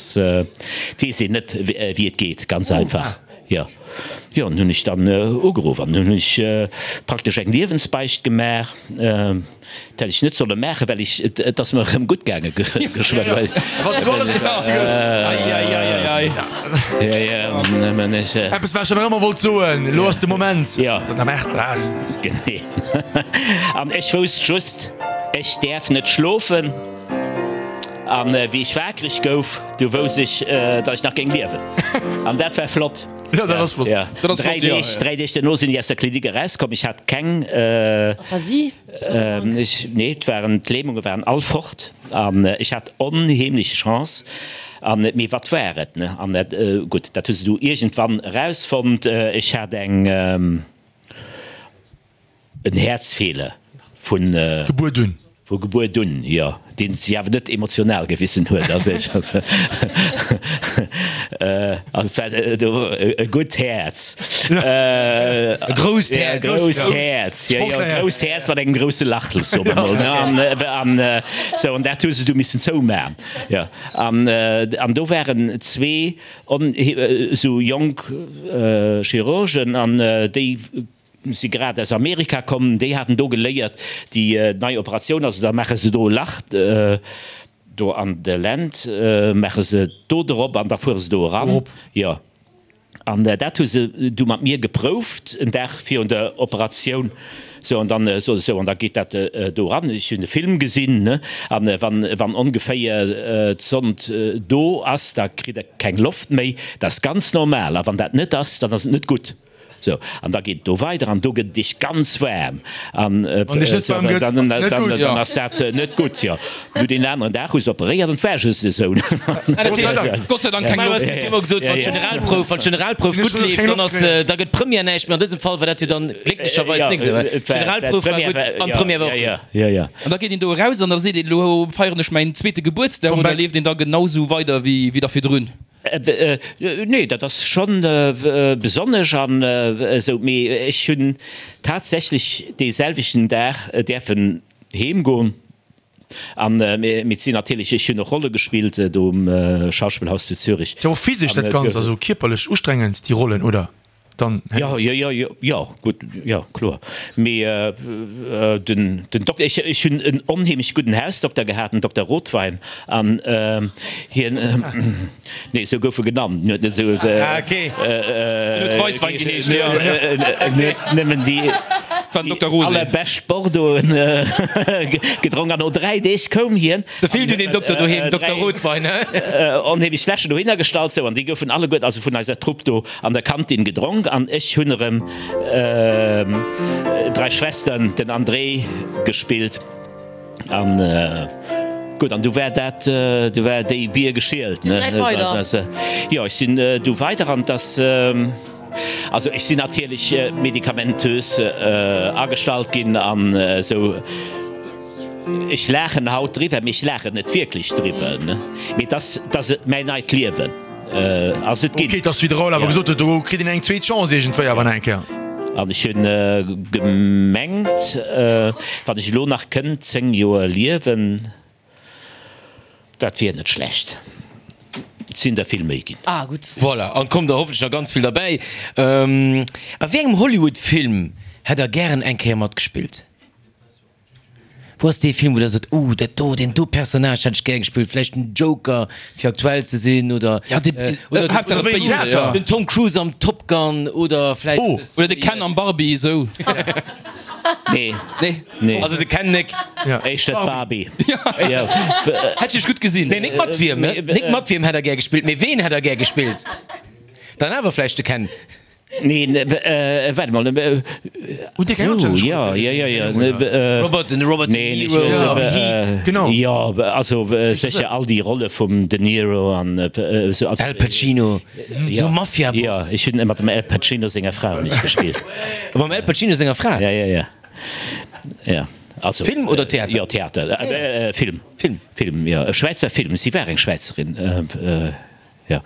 weess een net, wéi et geet, ganz einfach. Jo, jo, an hunn ech dann ugeruff an hunn ech praktesch eng Liewensbeicht gemaach. Dat hätt ech net solle maachen, well ech, et ass mer erëm gutt gaange geschwënn. Wann s du alles de Beschte gëss. Eppes wat ech nach ëmmer wollt soen, elo ass de Moment. Jo. Genee. An ech wousst just, ech däerf net schlofen. An wéi ech waakreg gouf, du wousst ech, datt ech nach géing liewen. An dat war flott. Jo, dat ass flott. Ja. Dat ass Dräi flott, jo. Deeg, dräi Deeg duerno sinn ech aus der Klinik erauskomm. Ech hat keng. Aphasie? Ech, nee, et waren, d'Lähmunge waren all fort. An ech hat onheemlech Chance. An, mee wat war et, ne? An dat, gutt, dat hu se du iergendwann erausfonnt. Ech hat eng. En Häerzfeeler vun. Gebuert un. Vu Gebuert un, jo. Deen sech awer net emotional gewissen huet. Also ech, also et war do e gutt Häerz. E grousst Häerz. E grousst Häerz, jo, jo, e grousst Häerz mat engem grousse Lach, soe mer mol, ne. An, an sou, an dat hu se du missen zouman, jo. An, an do waren zwee on, sou jonk Chirurgen an déi si grad aus Amerika komm, déi haten do geléiert, déi nei Operatioun, also da maache se do e Lach do an de Lend, maache se do drop an da fuere se do eran. Jo. An dat hu se du mat mir geprouft, en Dag virun der Operatioun. Sou, an dann sot ech, sou, an da geet dat do eran. Ech hunn de Film gesinn, ne, an wann, wann ongeféier d'Sond do ass, da kritt Der keng Loft méi. Dat ass ganz normal. A wann dat net ass, dann ass et net gutt. Sou, an da geet et do weider an do gëtt et iech ganz waarm. An Wann iech net waarm gëtt, ass et net gutt. Dann ass dat net gutt, jo. Du deen aneren Dag hu se operéiert an et war just esou. Gott sei Dank. Gott sei Dank keng Loft. Et gëtt jo ëmmer gesot, wann d'Generalprouf, wann d'Generalprouf gutt leeft, dann ass, da gëtt d'Première näischt. Mee an dësem Fall war dat jo dann glécklecherweis nik esou. D'Generalprouf war gutt an d'Première war och gutt. Jo, jo. An da geet een do eraus an da seet een, elo feieren ech mäin zweete Gebuertsdag oder leeft een da genau esou weider wéi wéi da virdrun? Nee, dat ass schonn besonnesch an esou, mee ech hunn tatsächlech dee selwechten Dag däerfen heem goen. An mee et sinn natierlech, ech hunn och Rolle gespillt do um Schauspielhaus zu Zürich. Ass jo och physesch dat Ganzt, also kierperlech ustrengend déi Rollen, oder? Dann Jo, jo, jo, jo, jo, gutt, jo, kloer. Mee den, den Dokter, ech, ech hunn en onheemlech gudden Hausdokter gehat, den Dokter Rothwein, an hien, nee, esou gouf e genannt, en huet net esou, Ah, okay. En huet Weisswein geheescht, jo. En huet nëmmen déi, War den Dokter Rosé. allerbescht Bordeauxen gedronk, an no dräi Deeg koum hien. Ze vill du den Dokter doheem, Dokter Rothwein, he? Onheemlech Fläschen dohinner gestallt, sou, an déi goufen alleguerten, also vun eiser Trupp do, an der Kantin gedronk an ech hunn erëm Drei Schwestern, den André gespillt an gutt an du war dat, du war déi Bier geschielt ne. Jo ech sinn du weider an dass, also ech sinn natierlech medikamentös agestallt ginn an esou. Ech laachen haut driwwer, mee ech laachen net wierklech driwwer ne, mee dass dass et mäin neit Liewen. Ass et ginn. Ok, et ass wéi de Raoul awer gesot huet, do kritt een eng zweet Chance iergendwéi awer nach eng Kéier. An ech hunn gemengt, wann ech elo nach kënnt zéng Joer liewen, dat wier net schlecht. Et sinn der vill méi ginn. Ah gutt. Voilà, an kommt der hoffentlech nach ganz vill derbäi. A wéi engem Hollywood-Film hätt der gären eng Kéier matgespillt? Wou ass dee Film, wou der sot, uh, dat do, deen do Personnage hätt ech gär gespillt, vläicht den Joker, fir aktuell ze sinn, oder den Tom Cruise am Top Gun, oder vläicht oh. Oder de Ken am Barbie, esou. Nee. Nee. Nee. Also de Ken nek. Éischter d'Barbie. Ja. Hätt ech iech gutt gesinn. Nee, nik mat wiem, nik mat wiem hätt der gär gespillt, mee ween hätt der gär gespillt? Dann awer vläicht de Ken. Nee, waart emol. Hutt Dir keng anstänneg Roll fir den Film, oder? Robert, den Robert De Niro am Heat. Genau. Jo, also sécher all déi Rolle vum De Niro an esou. Al Pacino, sou Mafia-Boss. Jo, ech hunn mat dem Al Pacino senger Fra hunn ech gespillt. Mam Al Pacino senger Fra? Ja, ja, ja. Ja, also. Film oder Theater? Jo, Theater. Film. Film. Film, jo. E Schwäizer Film. Si war eng Schwäizerin. Jo.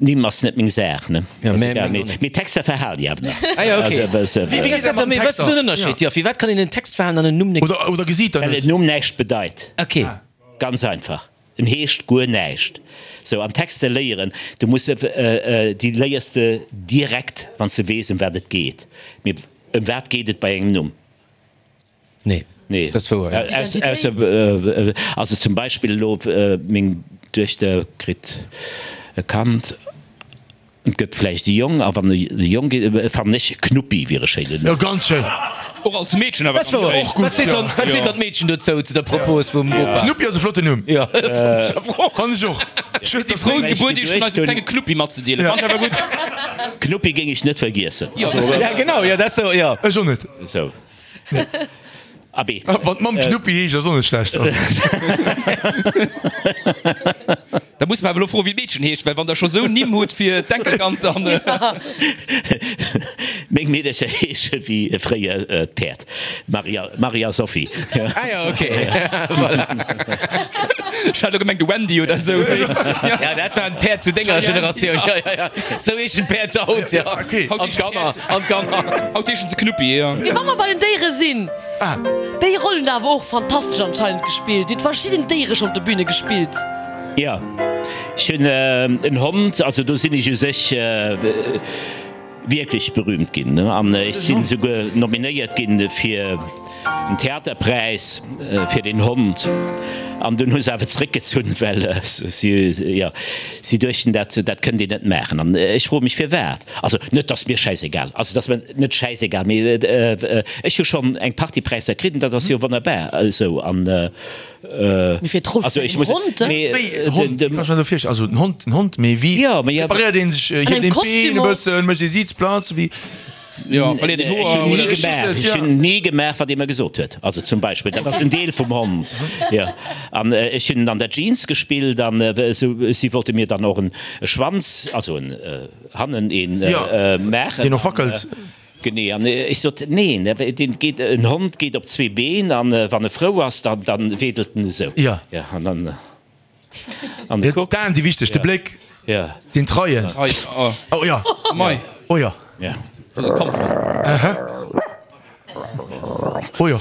Nimm ass net meng Saach, ne? Ja, mä meng och net. Mee Texter verhalen déi awer nach. Ah ja, okay. Also, Wéi ass dat da? Mee wat ass den Ënnerscheed? Jo, firwat kann een en Text verhalen an en Numm net? Oder, oder gesitt der Well net? en Numm näischt bedeit. Okay. Ganz einfach. En heescht guer näischt. Sou, an Texter léieren, du muss, déi léiers de direkt, wann s de weess, ëm wat et geet. Mee ëm wat geet et bei engem Numm? Nee, Nee. dat ass wouer, ja. Ausser, also zum Beispill elo meng Duechter kritt e Kand, et gëtt vläicht e Jong, a wann e Jong gétt, fannen ech Knuppi wier e schéinen Jo, Numm. ganz schéin. Och als Meedchen awer Dat ass wouer. ganz schéin. Och gutt, Wat seet dann, ja. wat seet dann d'Meedchen dozou, zu der Propos vum Bopa? Knuppi ass e flotten Numm. Jo, fannen ech awer och. Fannen ech och. Si frou d'Gebuert iech vun eisem klenge Knuppi matzedeelen. Fannen ech awer gutt. Knuppi géing ech net vergiessen. Jo. Ja, genau, jo, dat ass sou, jo. Ech och net. Sou. Abee. Wann d'Mamm Knuppi heescht, ass och net schlecht. Da muss mer awer elo froen, wéi d'Meedchen heescht, well wann der scho sou Nimm hutt fir d'Enkelkand, dann. Meng Meedercher heesche wéi fréier d'Päerd, Maria, Maria Sophie. Ah jo, ok, voilà. Ech hat elo gemengt de Wendy oder sou. Ja, dat waren d'Päerd zu denger Generatioun. Ja, ja, ja. Sou heeschen d'Päerd haut, ja. Okay. An d'Kanner, an d'Kanner. Haut heeschen se Knuppi, ja. Mee wa mer bei den Déiere sinn, déi Roll hutt der awer och fantastesch anscheinend gespillt. Dir hutt verschidden Déiere schonn op der Bühne gespillt. Jo, ech hunn en Hond, also do sinn ech u sech wierklech berühmt ginn an ech sinn esouguer nominéiert ginn fir en Theaterpräis fir den Hond. An dunn hu se awer zeréckgezunn, well si, jo, si duechten, dat, dat kënnt een net maachen. An ech froe mech, firwat. Also net, dass mir schäisegal, also dass mir net schäisegal, mee ech hu schonn eng Partie Präisser kritt an dat ass jo wonnerbar esou. An Mee fir d'Roll also vun ech engem muss, Hond, mee Wéi en Hond, den, kann ech mer dat virstellen? Also en Hond, en Hond, mee wéi Jo, mee jo. preparéiert een sech? An Hieft engem een d'Been Kostüm e och. bëssen, mécht ee Sitzplatz, wéi? Jo, verléiert een Ech Hoer hunn ni oder? gemaach, ech hunn ni gemaach, wat ee mer gesot huet. Also zum Beispill, dat ass en Deel vum Hond, jo. An ech hunn an der Jeans gespillt an esou, si wollte mir dann och en Schwanz, also en hannen een maachen. Deen och wackelt. Genee. An ech sot, neen, deen geet, en Hond geet op zwee Been an wann e frou ass, dann, dann wedelt en esou. Jo. An dann, an e kuckt. D'Aen si wichteg, de Bléck. Ja. Den Treien. Treien, oh. Oh ja. Mei. Oh ja. Ja. Das ist ein Kampfhund. Aha. Oh ja.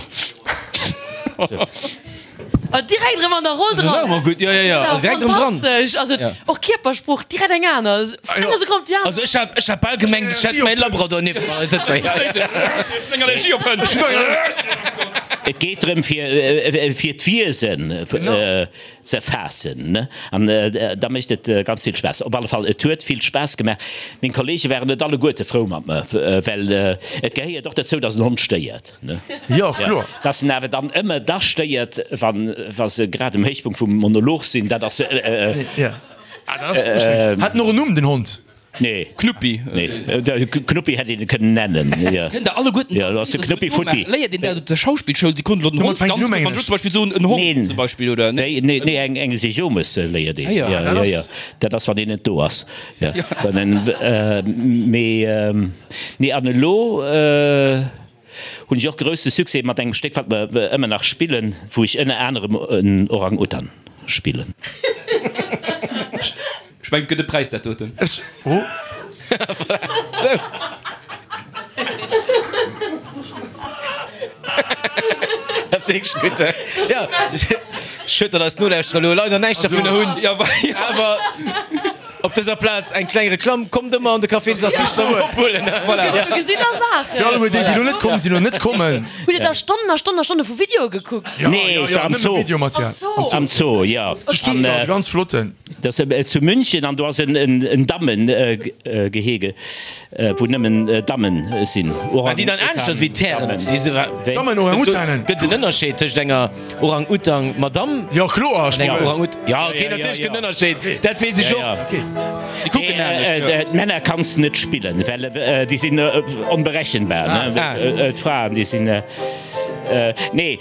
Ah, direkt erëm an der Roll dran. Das war gutt, ja, ja, ja. Ja, Direkt erëm dran. fantastesch. Also, Ja. och Kierpersprooch, direkt eng aner. Vun enger Sekonn op déi aner. Also ech hat, ech hat bal gemengt, ech hätt mäin Labrador nieft mer sëtzen. Ech hunn eng Allergie op Hënn. Et geet drëm fir, fir d'Wiesen ze erfaassen, ne? An da mécht et ganz vill Spaass. Op alle Fall, et huet vill Spaass gemaach. Meng Kollege waren net alleguerte frou mat mer, well et gehéiert och dozou, dass en Hond stéiert, ne? Jo, kloer. Dass en awer dann ëmmer da stéiert, wann, wa se grad um Héichpunkt vum Monolog sinn, dat ass. Ja. Ah, dat ass. Hat en och en Numm, den Hond? Nee. Knuppi. Nee, Knuppi hätt een e kënnen nennen, jo. Kënnt der alleguerten Jo, do ass de Knuppi futti. Léiert een dat op der Schauspillschoul? Déi konnt elo den Hond ganz gutt, wann ech elo zum Beispill soen, en Hond Neen. zum Beispill, oder? Nee, nee, nee, eng, eng Sejomes léiert een. Ah, jo. Ja, Dat jo, ass. jo. Dat ass, wann een net do ass. Jo. Wann en, mee, nee, an elo hunn ech och grousse Succès mat engem Stéck, wat mer ëmmer nach spillen, wou ech ënner anerem en Orang-Utan spillen. Ech mengen, et gëtt e Präis dat doten. Ech, oh. Sou. Dat ass wierklech gutt, he? Ja, schued, datt eis Nolauschterer elo leider näischt dovunner hunn. Awer op dëser Plaz eng kleng Reklamm, Kommt ëmmer an de Café des Artistes erëm ophuelen. Voilà. Du gesitt da Saachen. Fir alleguer déi, déi elo net komm sinn oder net kommen. Hutt Dir da Stonnen a Stonnen a Stonne vu Videoe gekuckt? Jo, Nee, jo, ech jo, war am nëmme Zoo. Videomaterial. Am Zoo. Am Zoo, jo. Zu Stuttgart, ganz flotten. Dat ass zu München an do ass en Dammengehege, wou nëmmen Dammen sinn. Waren déi dann aneschters wéi d'Hären? Dammen-Orang-Utanen. Gëtt et en Ënnerscheed tëscht enger Orang-Utang-Madamm Jo, kloer, an enger Orang-Ut. Ja, ok, Ja, ja, natierlech ja. gëtt en Ënnerscheed, dat weess ech och. Déi kucken anescht, jo. D'Männer kanns de net spillen, well déi sinn onberechenbar. D'Fraen, déi sinn. Nee,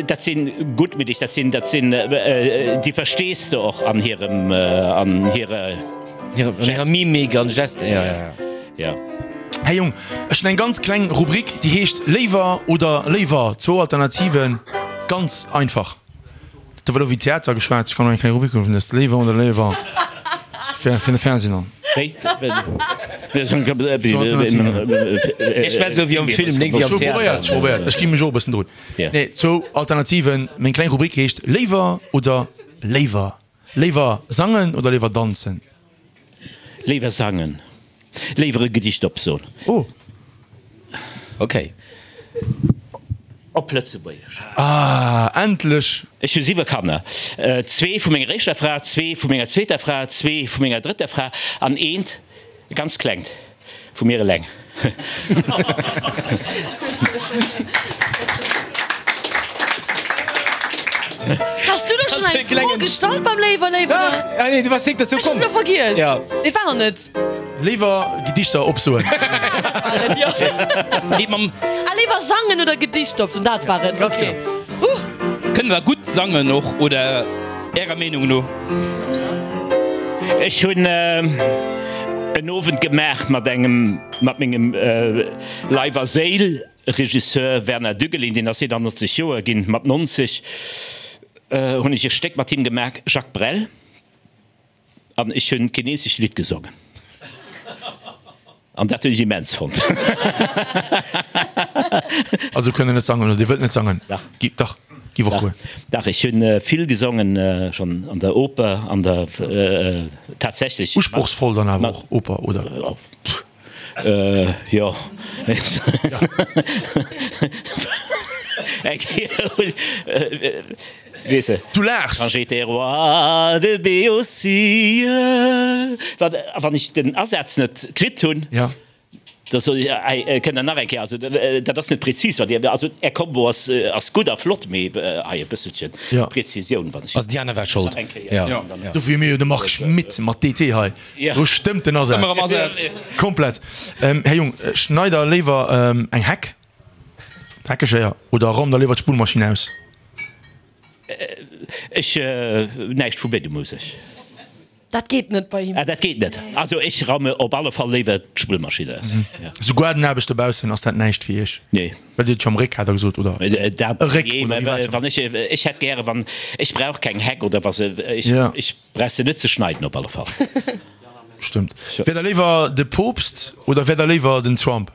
dat sinn guttmiddeg, dat sinn, dat sinn, déi verstees de och an hirem, an hirer. An hirer Mimik an Gesten, ja, ja. Ja. Här Jung, ech hunn eng ganz kleng Rubrik, déi heescht Léiwer oder léiwer, zwou Alternativen, ganz einfach. Do war elo wéi Theater geschwat, ech kann och eng kleng Rubrik hunn, dat ass Léiwer oder léiwer fir fir de Fernsehen an. Wéi? Ech schwätz elo wéi am Film, nik wéi am Ech hu probéiert, Theater. ech probéiert, ech gi mech och e bëssen drun. Nee, zwou Alternativen, meng kleng Rubrik heescht Léiwer oder léiwer. Léiwer sangen oder léiwer danzen? Léiwer sangen. Léiwer e Gedicht opsoen. Oh. Okay. Op Lëtzebuergesch. Ah, endlech! Ech hu siwe Kanner, zwee vu menger éischter Fra, zwee vu menger zweeter Fra, zwee vu menger drëtter Fra an eent, e ganz klengt, vu mir eleng. Has du elo schonn eng Fro gestallt beim Léiwer, Léiwer? Dach! Ah nee, du waars nik dozou Ech hunn komm. se elo vergiess. Ja. Et war nach net. Léiwer Gedichter opsoen. Nee, mam. Ah, léiwer sangen oder Gedichter opsoen, dat war et. Ganz Okay. genau. Huh! Kënnt der gutt sangen och, oder Ärer Meenung no? Ech hunn en Owend gemaach mat engem, mat mengem Leif a Séil Regisseur Werner Düggelin, deen ass eenannonzeg Joer ginn, mat nonzeg hunn ech e Stéck mat him gemaach, Jacques Brel, an ech hunn keen eenzegt Lidd gesongen. An dat hunn ech immens fonnt. Also kënnt Der net sangen oder Dir wëllt net sangen? Dach. Dach, giff och goen. Dach, ech hunn vill gesongen schonn an der Oper, an der tatsächlech. Usprochsvoll dann awer och Oper, oder? Jo. Eng Kéier hunn Weess de. Du laachs. Quand j'étais roi de Béotie. Wann, wann ech den Asaz net kritt hunn, Ja. da soll ech, hei, kënnt Der nach eng Kéier, also dat ass net prezis, wat Dir, also Är Kombo ass, ass gutt a flott, mee hei e bësselche Ja. Prezisioun, wann ech. Also déi aner war schold. Nach eng Kéier. Ja. Ja. Dann, Dofir hu mir jo de Marc Schmitt mat D T hei. Ja. Do stëmmt den Asaz. Ëmmer am Asaz. Komplett. Ähm, Här Jung, schneit Der léiwer eng Heck, Heckeschéier, oder raumt Der léiwer d'Spullmaschinn aus? Ech, näischt vu béidem u sech. Dat geet net bei him. Ah, dat geet net. Also ech raume op alle Fall léiwer d'Spullmaschinn aus. Ja. Sou Gaardenaarbecht dobaussen, ass dat näischt fir Iech? Nee. Well Dir hutt jo am Réck, hat Der gesot, oder? Dat, E Réck, nee, oder wéi war dat? wann ech, ech hätt gäre wann, ech brauch keng Heck oder was, ech, Ja. ech brauch se net ze schneiden op alle Fall. Stëmmt. Wäert Der léiwer de Poopst oder wäert Der léiwer den Trump?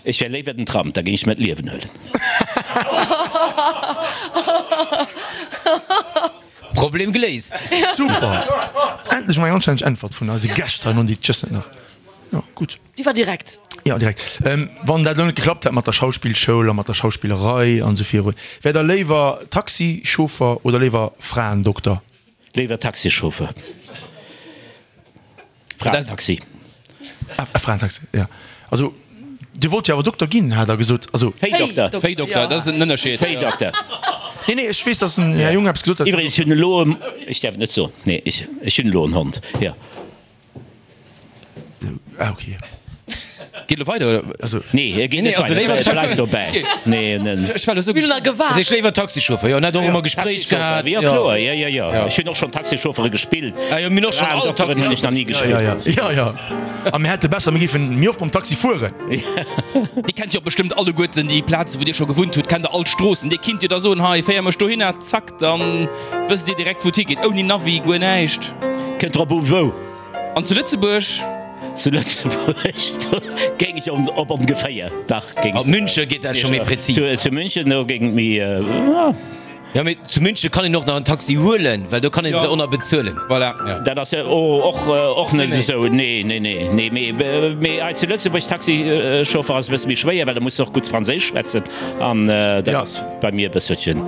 Ech wär léiwer den Trump, da géing ech mer d'Liewen huelen. Problem geléist. Super! Endlech mol eng anstänneg Äntwert vun eise Gäscht hei, non, déi just net nach. Jo, gutt. Déi war direkt. Jo, direkt. Wann dat elo net geklappt hätt mat der Schauspillschoul a mat der Schauspillerei an esou virun, wäert Der léiwer Taxichauffer oder léiwer Fraendokter? Léiwer Taxichauffer. Fraentaxi. Ah, Fraentaxi, jo. Also, Dir wollt jo awer Dokter ginn, hat Der gesot. Also. Véidokter. Véidokter, dat ass en Ënnerscheed. Véidokter. Nee, nee, ech weess, dass den Här Jung eppes gesot hat. Iwwregens, ech hunn elo e, ech däerf et net soen, nee, ech, ech hunn elo en Hond, jo. Ah, okay. Geet elo weider, oder? Also. Nee, e geet net also weider, léiwer e bleift Taxi. dobäi. Nee, nee. Ech war elo sou Mir hunn gespannt. nach gewaart. Also ech léiwer Taxichauffer, jo, en hat och ëmmer Gespréich Taxichauffer, gehat. jo, kloer, jo, jo, jo. Ech hunn och schonn Taxichauffere gespillt. Ah jo, mir hunn och schonn all Fraendokteren hunn ech nach ni Ja, ja, gespillt. ja, ja. A mir hätte besser, mir géifen méi oft mam Taxi fueren. Dir kennt jo bestëmmt alleguerten déi Plazen, wou Dir scho gewunnt hutt, kennt der all d'Stroossen. Dir kinnt jo da soen, hei, féier mech dohinner, zack, dann wësst Dir direkt, wou et higeet, ouni Navi, guer näischt. Kënnt drop u wou. An zu Lëtzebuerg? Zu Lëtzebuerg, do géing ech op ongeféier, dach géing Ab ech. München geet dat scho méi präzis. Zu München, do géing et méi, ja. Jo, mee zu München kann een och nach en Taxi huelen, well do kann een se och nach bezuelen. Voilà. Dat ass jo och, och net esou, nee, nee, nee, nee. Mee, mee hei zu Lëtzebuerg Taxichauffer ass e bësse méi schwéier, well da muss de och gutt Franséisch schwätzen an dat ass bei mir e bësselchen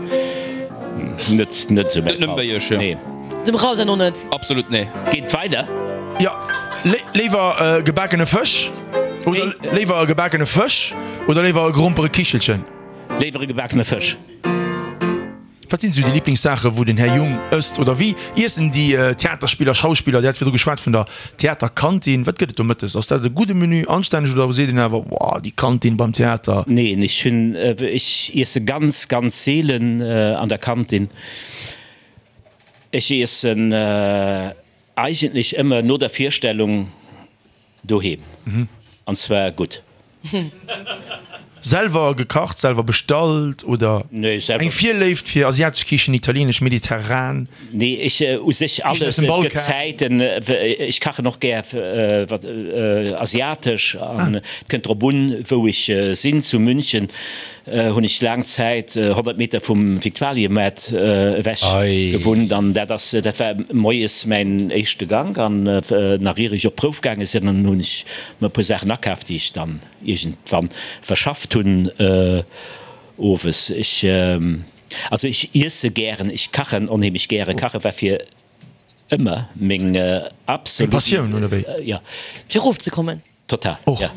net, net esou mäi Net nëmme Fall. bei Iech, jo. Nee. Dem Raoul säin och net. Absolut nee. Geet weider? Jo, léiwer gebakene Fësch oder léiwer e gebakene Fësch oder léiwer e Gromperekichelchen? Léiwer e gebakene Fësch. Wat sinn esou déi Liblingssaache wou den Här Jung ësst oder wéi iessen déi Theaterspiller, Schauspiller? Dir hat virdru geschwat vun der Theaterkantin. Wat gëtt et do mëttes? Ass dat e gudde Menü, anstänneg oder seet een awer, Woah, déi Kantin beim Theater? Neen, ech hunn, ech iesse ganz, ganz seelen an der Kantin. Ech iessen eigentlech ëmmer no der Virstellung doheem, an zwar gutt. Selwer gekacht, selwer bestallt oder Nee, selwer. eng Virléift fir asiatesch Kichen, italienesch, mediterran? Nee, ech u sech Kichen aus alles. dem Et gëtt Balkan? Zäiten, ech kachen och gär wat asiatesch an et kënnt drop un, wou ech sinn. Zu München hunn ech laang Zäit honnert Meter vum Viktualiemaart ewech gewunnt an dat ass, dat war moies mäin éischte Gank an nach ier ech op d'Prouf gaange sinn, dann hunn ech mer e puer Saachen akaaft, déi ech dann iergendwann verschafft hunn owes. Ech, also ech iesse gären, ech kachen onheemlech gären. Kache war fir ëmmer meng absolut. Eng Passioun, oder wéi? Jo. Fir erofzekommen. Total, Och. ja.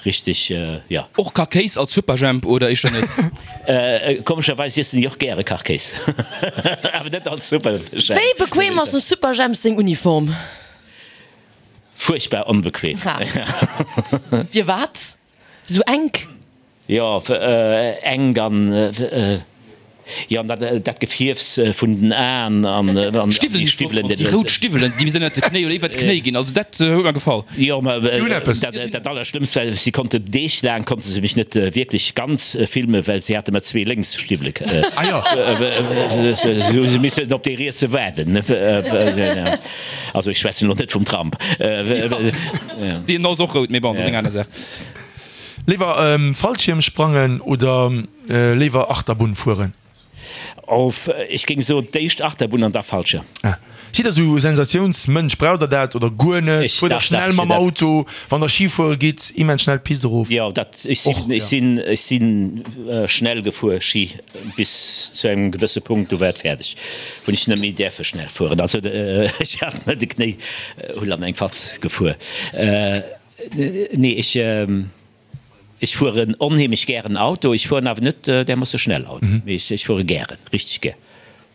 Richteg, jo. Och Kachkéis als Superjhemp oder éischter net? Komescherweis iessen ech och gäre Kachkéis, awer net als Superjhemp. Wéi bequem ass dem Superjhemp seng Uniform? Fuerchtbar onbequem. Firwat sou enk? Jo, enk an jo, an dat Gefierfs vun den Aen an D'Stiwwelen, déi Stiwwelen, déi rout Stiwwelen, déi bis ënnert de Knéi oder iwwert d'Knéi ginn, also dat huet mer gefall. Jo, ma Déi hunn eppes. dat, dat Allerschlëmmst war, si konnte Deeg laang konnte se mech net wierklech ganz filmen, well si hate mer zwee lénks Stiwwele Ah jo. Se hu missen op déi rietse waarden. Also ech schwätzen elo net vum Trump. Deen ass och rout, mee bon, dat ass eng aner Saach. Léiwer Fallschiermsprangen oder léiwer Achterbunn fueren? Of, ech géing soen, d'éischt Achterbunn an da Fallschirm. Ah. Sidd der sou Sensatiounsmënsch? Braucht der dat oder guer net? Ech, Fuert der dach, dach, schnell ech mam hunn dat. Auto? Wann der Ski fuere gitt, immens schnell d'Pist erof? Jo, dat, ech sinn, Och, ech ja. sinn, ech sinn schnell gefuer Ski bis zu engem gewësse Punkt, du war et fäerdeg, hunn ech net méi däerfe schnell fueren. Also ech hat mer de Knéi, hunn an eng Fatz gefuer. Nee, ech, ech fueren onheemlech gären Auto. Ech fueren awer net därmoosse schnell Auto, mee ech, ech fuere gären, richteg gär,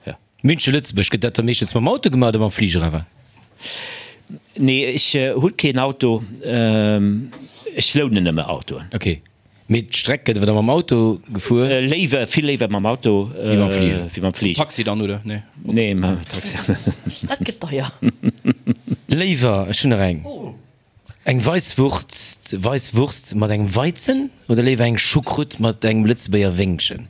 jo. München, Lëtzebuerg, gëtt dat da meeschtens mam Auto gemaach oder mam Fliger awer? Nee, ech hu keen Auto, ech lounen nëmme Autoen. Ok, mee d'Streck gëtt awer da mam Auto gefuer? Léiwer, vill léiwer mam Auto wéi mam Fliger. Wéi mam Fliger. Taxi dann, oder? Nee. Nee, mam Taxi. Dat gëtt deier. Léiwer, ech hunn nach eng. Eng Weisswurst, Weisswurst mat engem Weizen oder léiwer eng Choucroute mat engem Lëtzebuerger Wéngchen?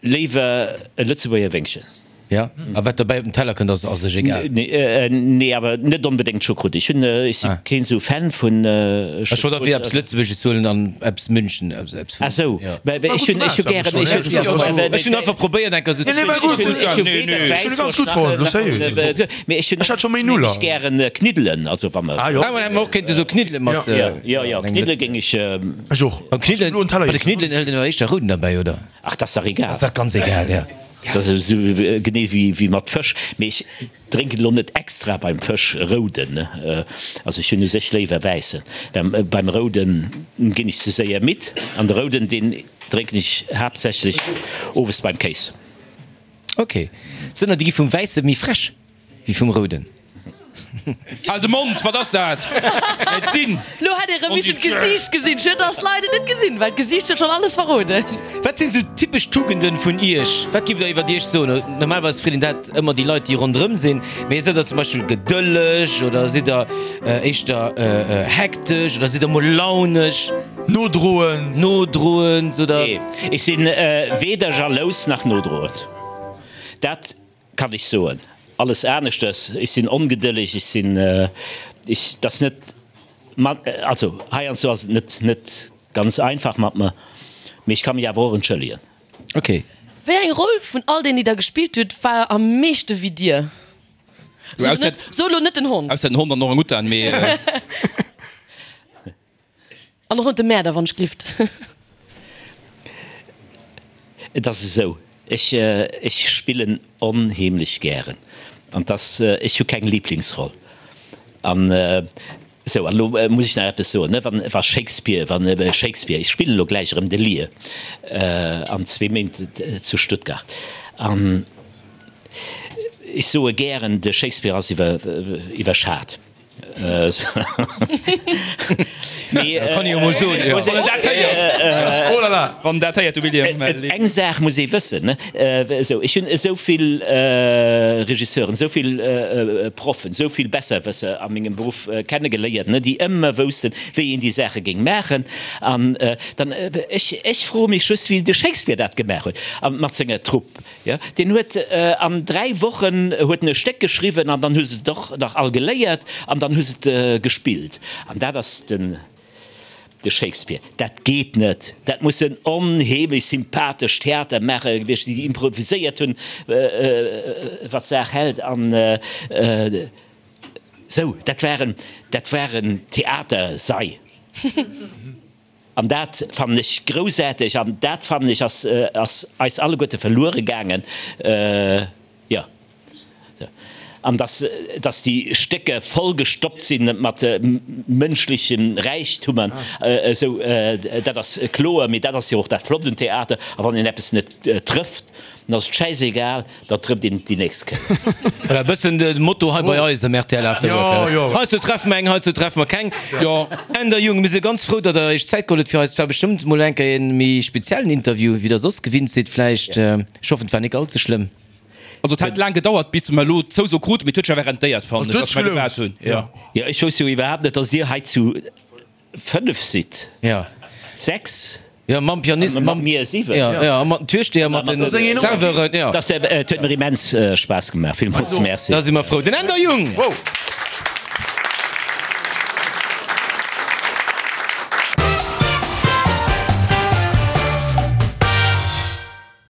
Léiwer e Lëtzebuerger Wéngchen. Ja, a wat dobäi op den Teller kënnt ass a sech egal? Nee, awer net onbedéngt Choucroute. Ech hunn, ech si keen esou Fan vun Choucroute. Ech wollt einfach eppes Lëtzebuergesches huelen an eppes München, eppes vun. Ah sou, mä ech hunn, ech hu gären, ech hunn, Ech hunn einfach probéiert eng Kéier esou ze. Nee, nee, war gutt. Ech hu weder Ech hunn e ganz gutt fonnt, lo sérieux. Mee ech hunn Ech hat scho méi Nuller. ech gären Kniddelen, also wa mer. Ah jo. Ah, mä hätt mer och kéinte sou Kniddele mat. Jo, jo, jo, Kniddele géing ech. Ech och. Beim Kniddelen, Ech hu elo en Teller bei de Kniddelen hëlt een awer éischter rouden derbäi, oder? Ach, dat ass dach egal. Dat ass dach ganz egal, ja. Dat ass esou genee wéi mat Fësch. Mee ech drénken elo net extra beim Fësch rouden. Also ech hunn u sech léiwer wäissen. Beim rouden ginn ech ze séier midd. An de rouden, deen drénken ech haaptsächlech owes beim Kéis. Ok. Sënner, déi gi vum wäisse méi frech wéi vum rouden. Hal de Mond, wat ass dat? Et sinn. Lo hätt ee rëm missen d'Gesiicht gesinn. Schued, dass d'Leit et net gesinn, well d'Gesiicht huet schonn alles verroden. Wat sinn sou typesch Tugenden vun iech? Wat giff der iwwert iech soen? Normalerweis freet een dat ëmmer déi Leit, déi ronderëm sinn. Mee sidd der zum Beispill gedëlleg oder sidd der éischter hektesch oder sidd der mol launesch? Nodroend. Nodroend oder? Nee, ech sinn weder jalous nach nodroend. Dat kann ech soen. Alles aneschtes, ech sinn ongedëlleg, ech sinn, ech, dat ass net, also heiansdo ass et net, net ganz einfach mat mer, mee ech ka mech awer och entschëllegen. Ok. Wéi eng Roll vun all deenen, déi der gespillt hutt, war am meeschte wéi dir? So elo net den Hond. Ausser den Hond an Orang-Utan, mee. An och net de Mäerder, wann ech glift. Et ass esou, ech, ech spillen onheemlech gären an 't ass, ech hu keng Liblingsroll. An esou, an elo muss ech nach eppes soen, ne, wann, wa Shakespeare, wann Shakespeare, ech spillen elo gläich erëm de Lear an zwee Méint zu Stuttgart an ech soe gären, de Shakespeare ass iwwer, iwwerschat. Kann ee jo mol soen, jo. Wann en dat héiert. Oh la la. Wann en dat héiert, du William. Eng Saach muss ee wëssen, esou, ech hunn esou vill Regisseuren, esou vill Proffen, esou vill Besserwësser a mengem Beruff kennegeléiert, déi ëmmer woussten, wéi een déi Saache géing maachen. An dann, ech, ech froe mech just, wéi de Shakespeare dat gemaach huet mat senger Trupp. Jo, deen huet an dräi Wochen huet en e Stéck geschriwwen an dann hu se et och nach all geléiert an dann hu se et gespillt. An dat ass den de Shakespeare. Dat geet net. Dat mussen onheemlech sympathesch Theatermaacher gewiescht sinn, déi improviséiert hunn, wat d'Saach hält. An esou, dat waren, dat waren Theatersei. An dat fannen ech groussaarteg an dat fannen ech ass ass eis alleguerte verluere gaangen. Jo. An dass dass déi Stécker vollgestoppt si mat mënschleche Räichtummer, esou, dat ass kloer. Mee dat ass jo och dat Flott un Theater. A wann een eppes net trëfft, dann ass et schäisegal, da trëfft een déi nächst Kéier. Voilà, e bëssen de Motto hei bei eis am rtl After Work. Jo, jo. Heizou treffe mer eng, heizou treffe mer keng. Jo. Änder Jung, mir si ganz frou, datt Der Iech Zäit geholl hutt fir eis. Et war bestëmmt mol eng Kéier e méi speziellen Interview, wéi Der soss gewinnt sidd vläicht. Ech hoffen, et war nik all ze schlëmm. Also et hat laang gedauert, bis mer elo d'Zouso kruten, mee et huet sech awer rentéiert, fannen ech, Et huet datt mer sech gewaart hunn. Jo. Jo, ech wousst jo iwwerhaapt net, datt Dir hei zu fënnef sidd. Jo. Sechs? Jo, mam Pianist, Mat mir siwen. Jo, jo, a mat den Türsteher, mat den Serveuren, jo. Et huet mir immens Spaass gemaach. Villmools Merci. Da si mer frou. Den Änder Jung! Wow!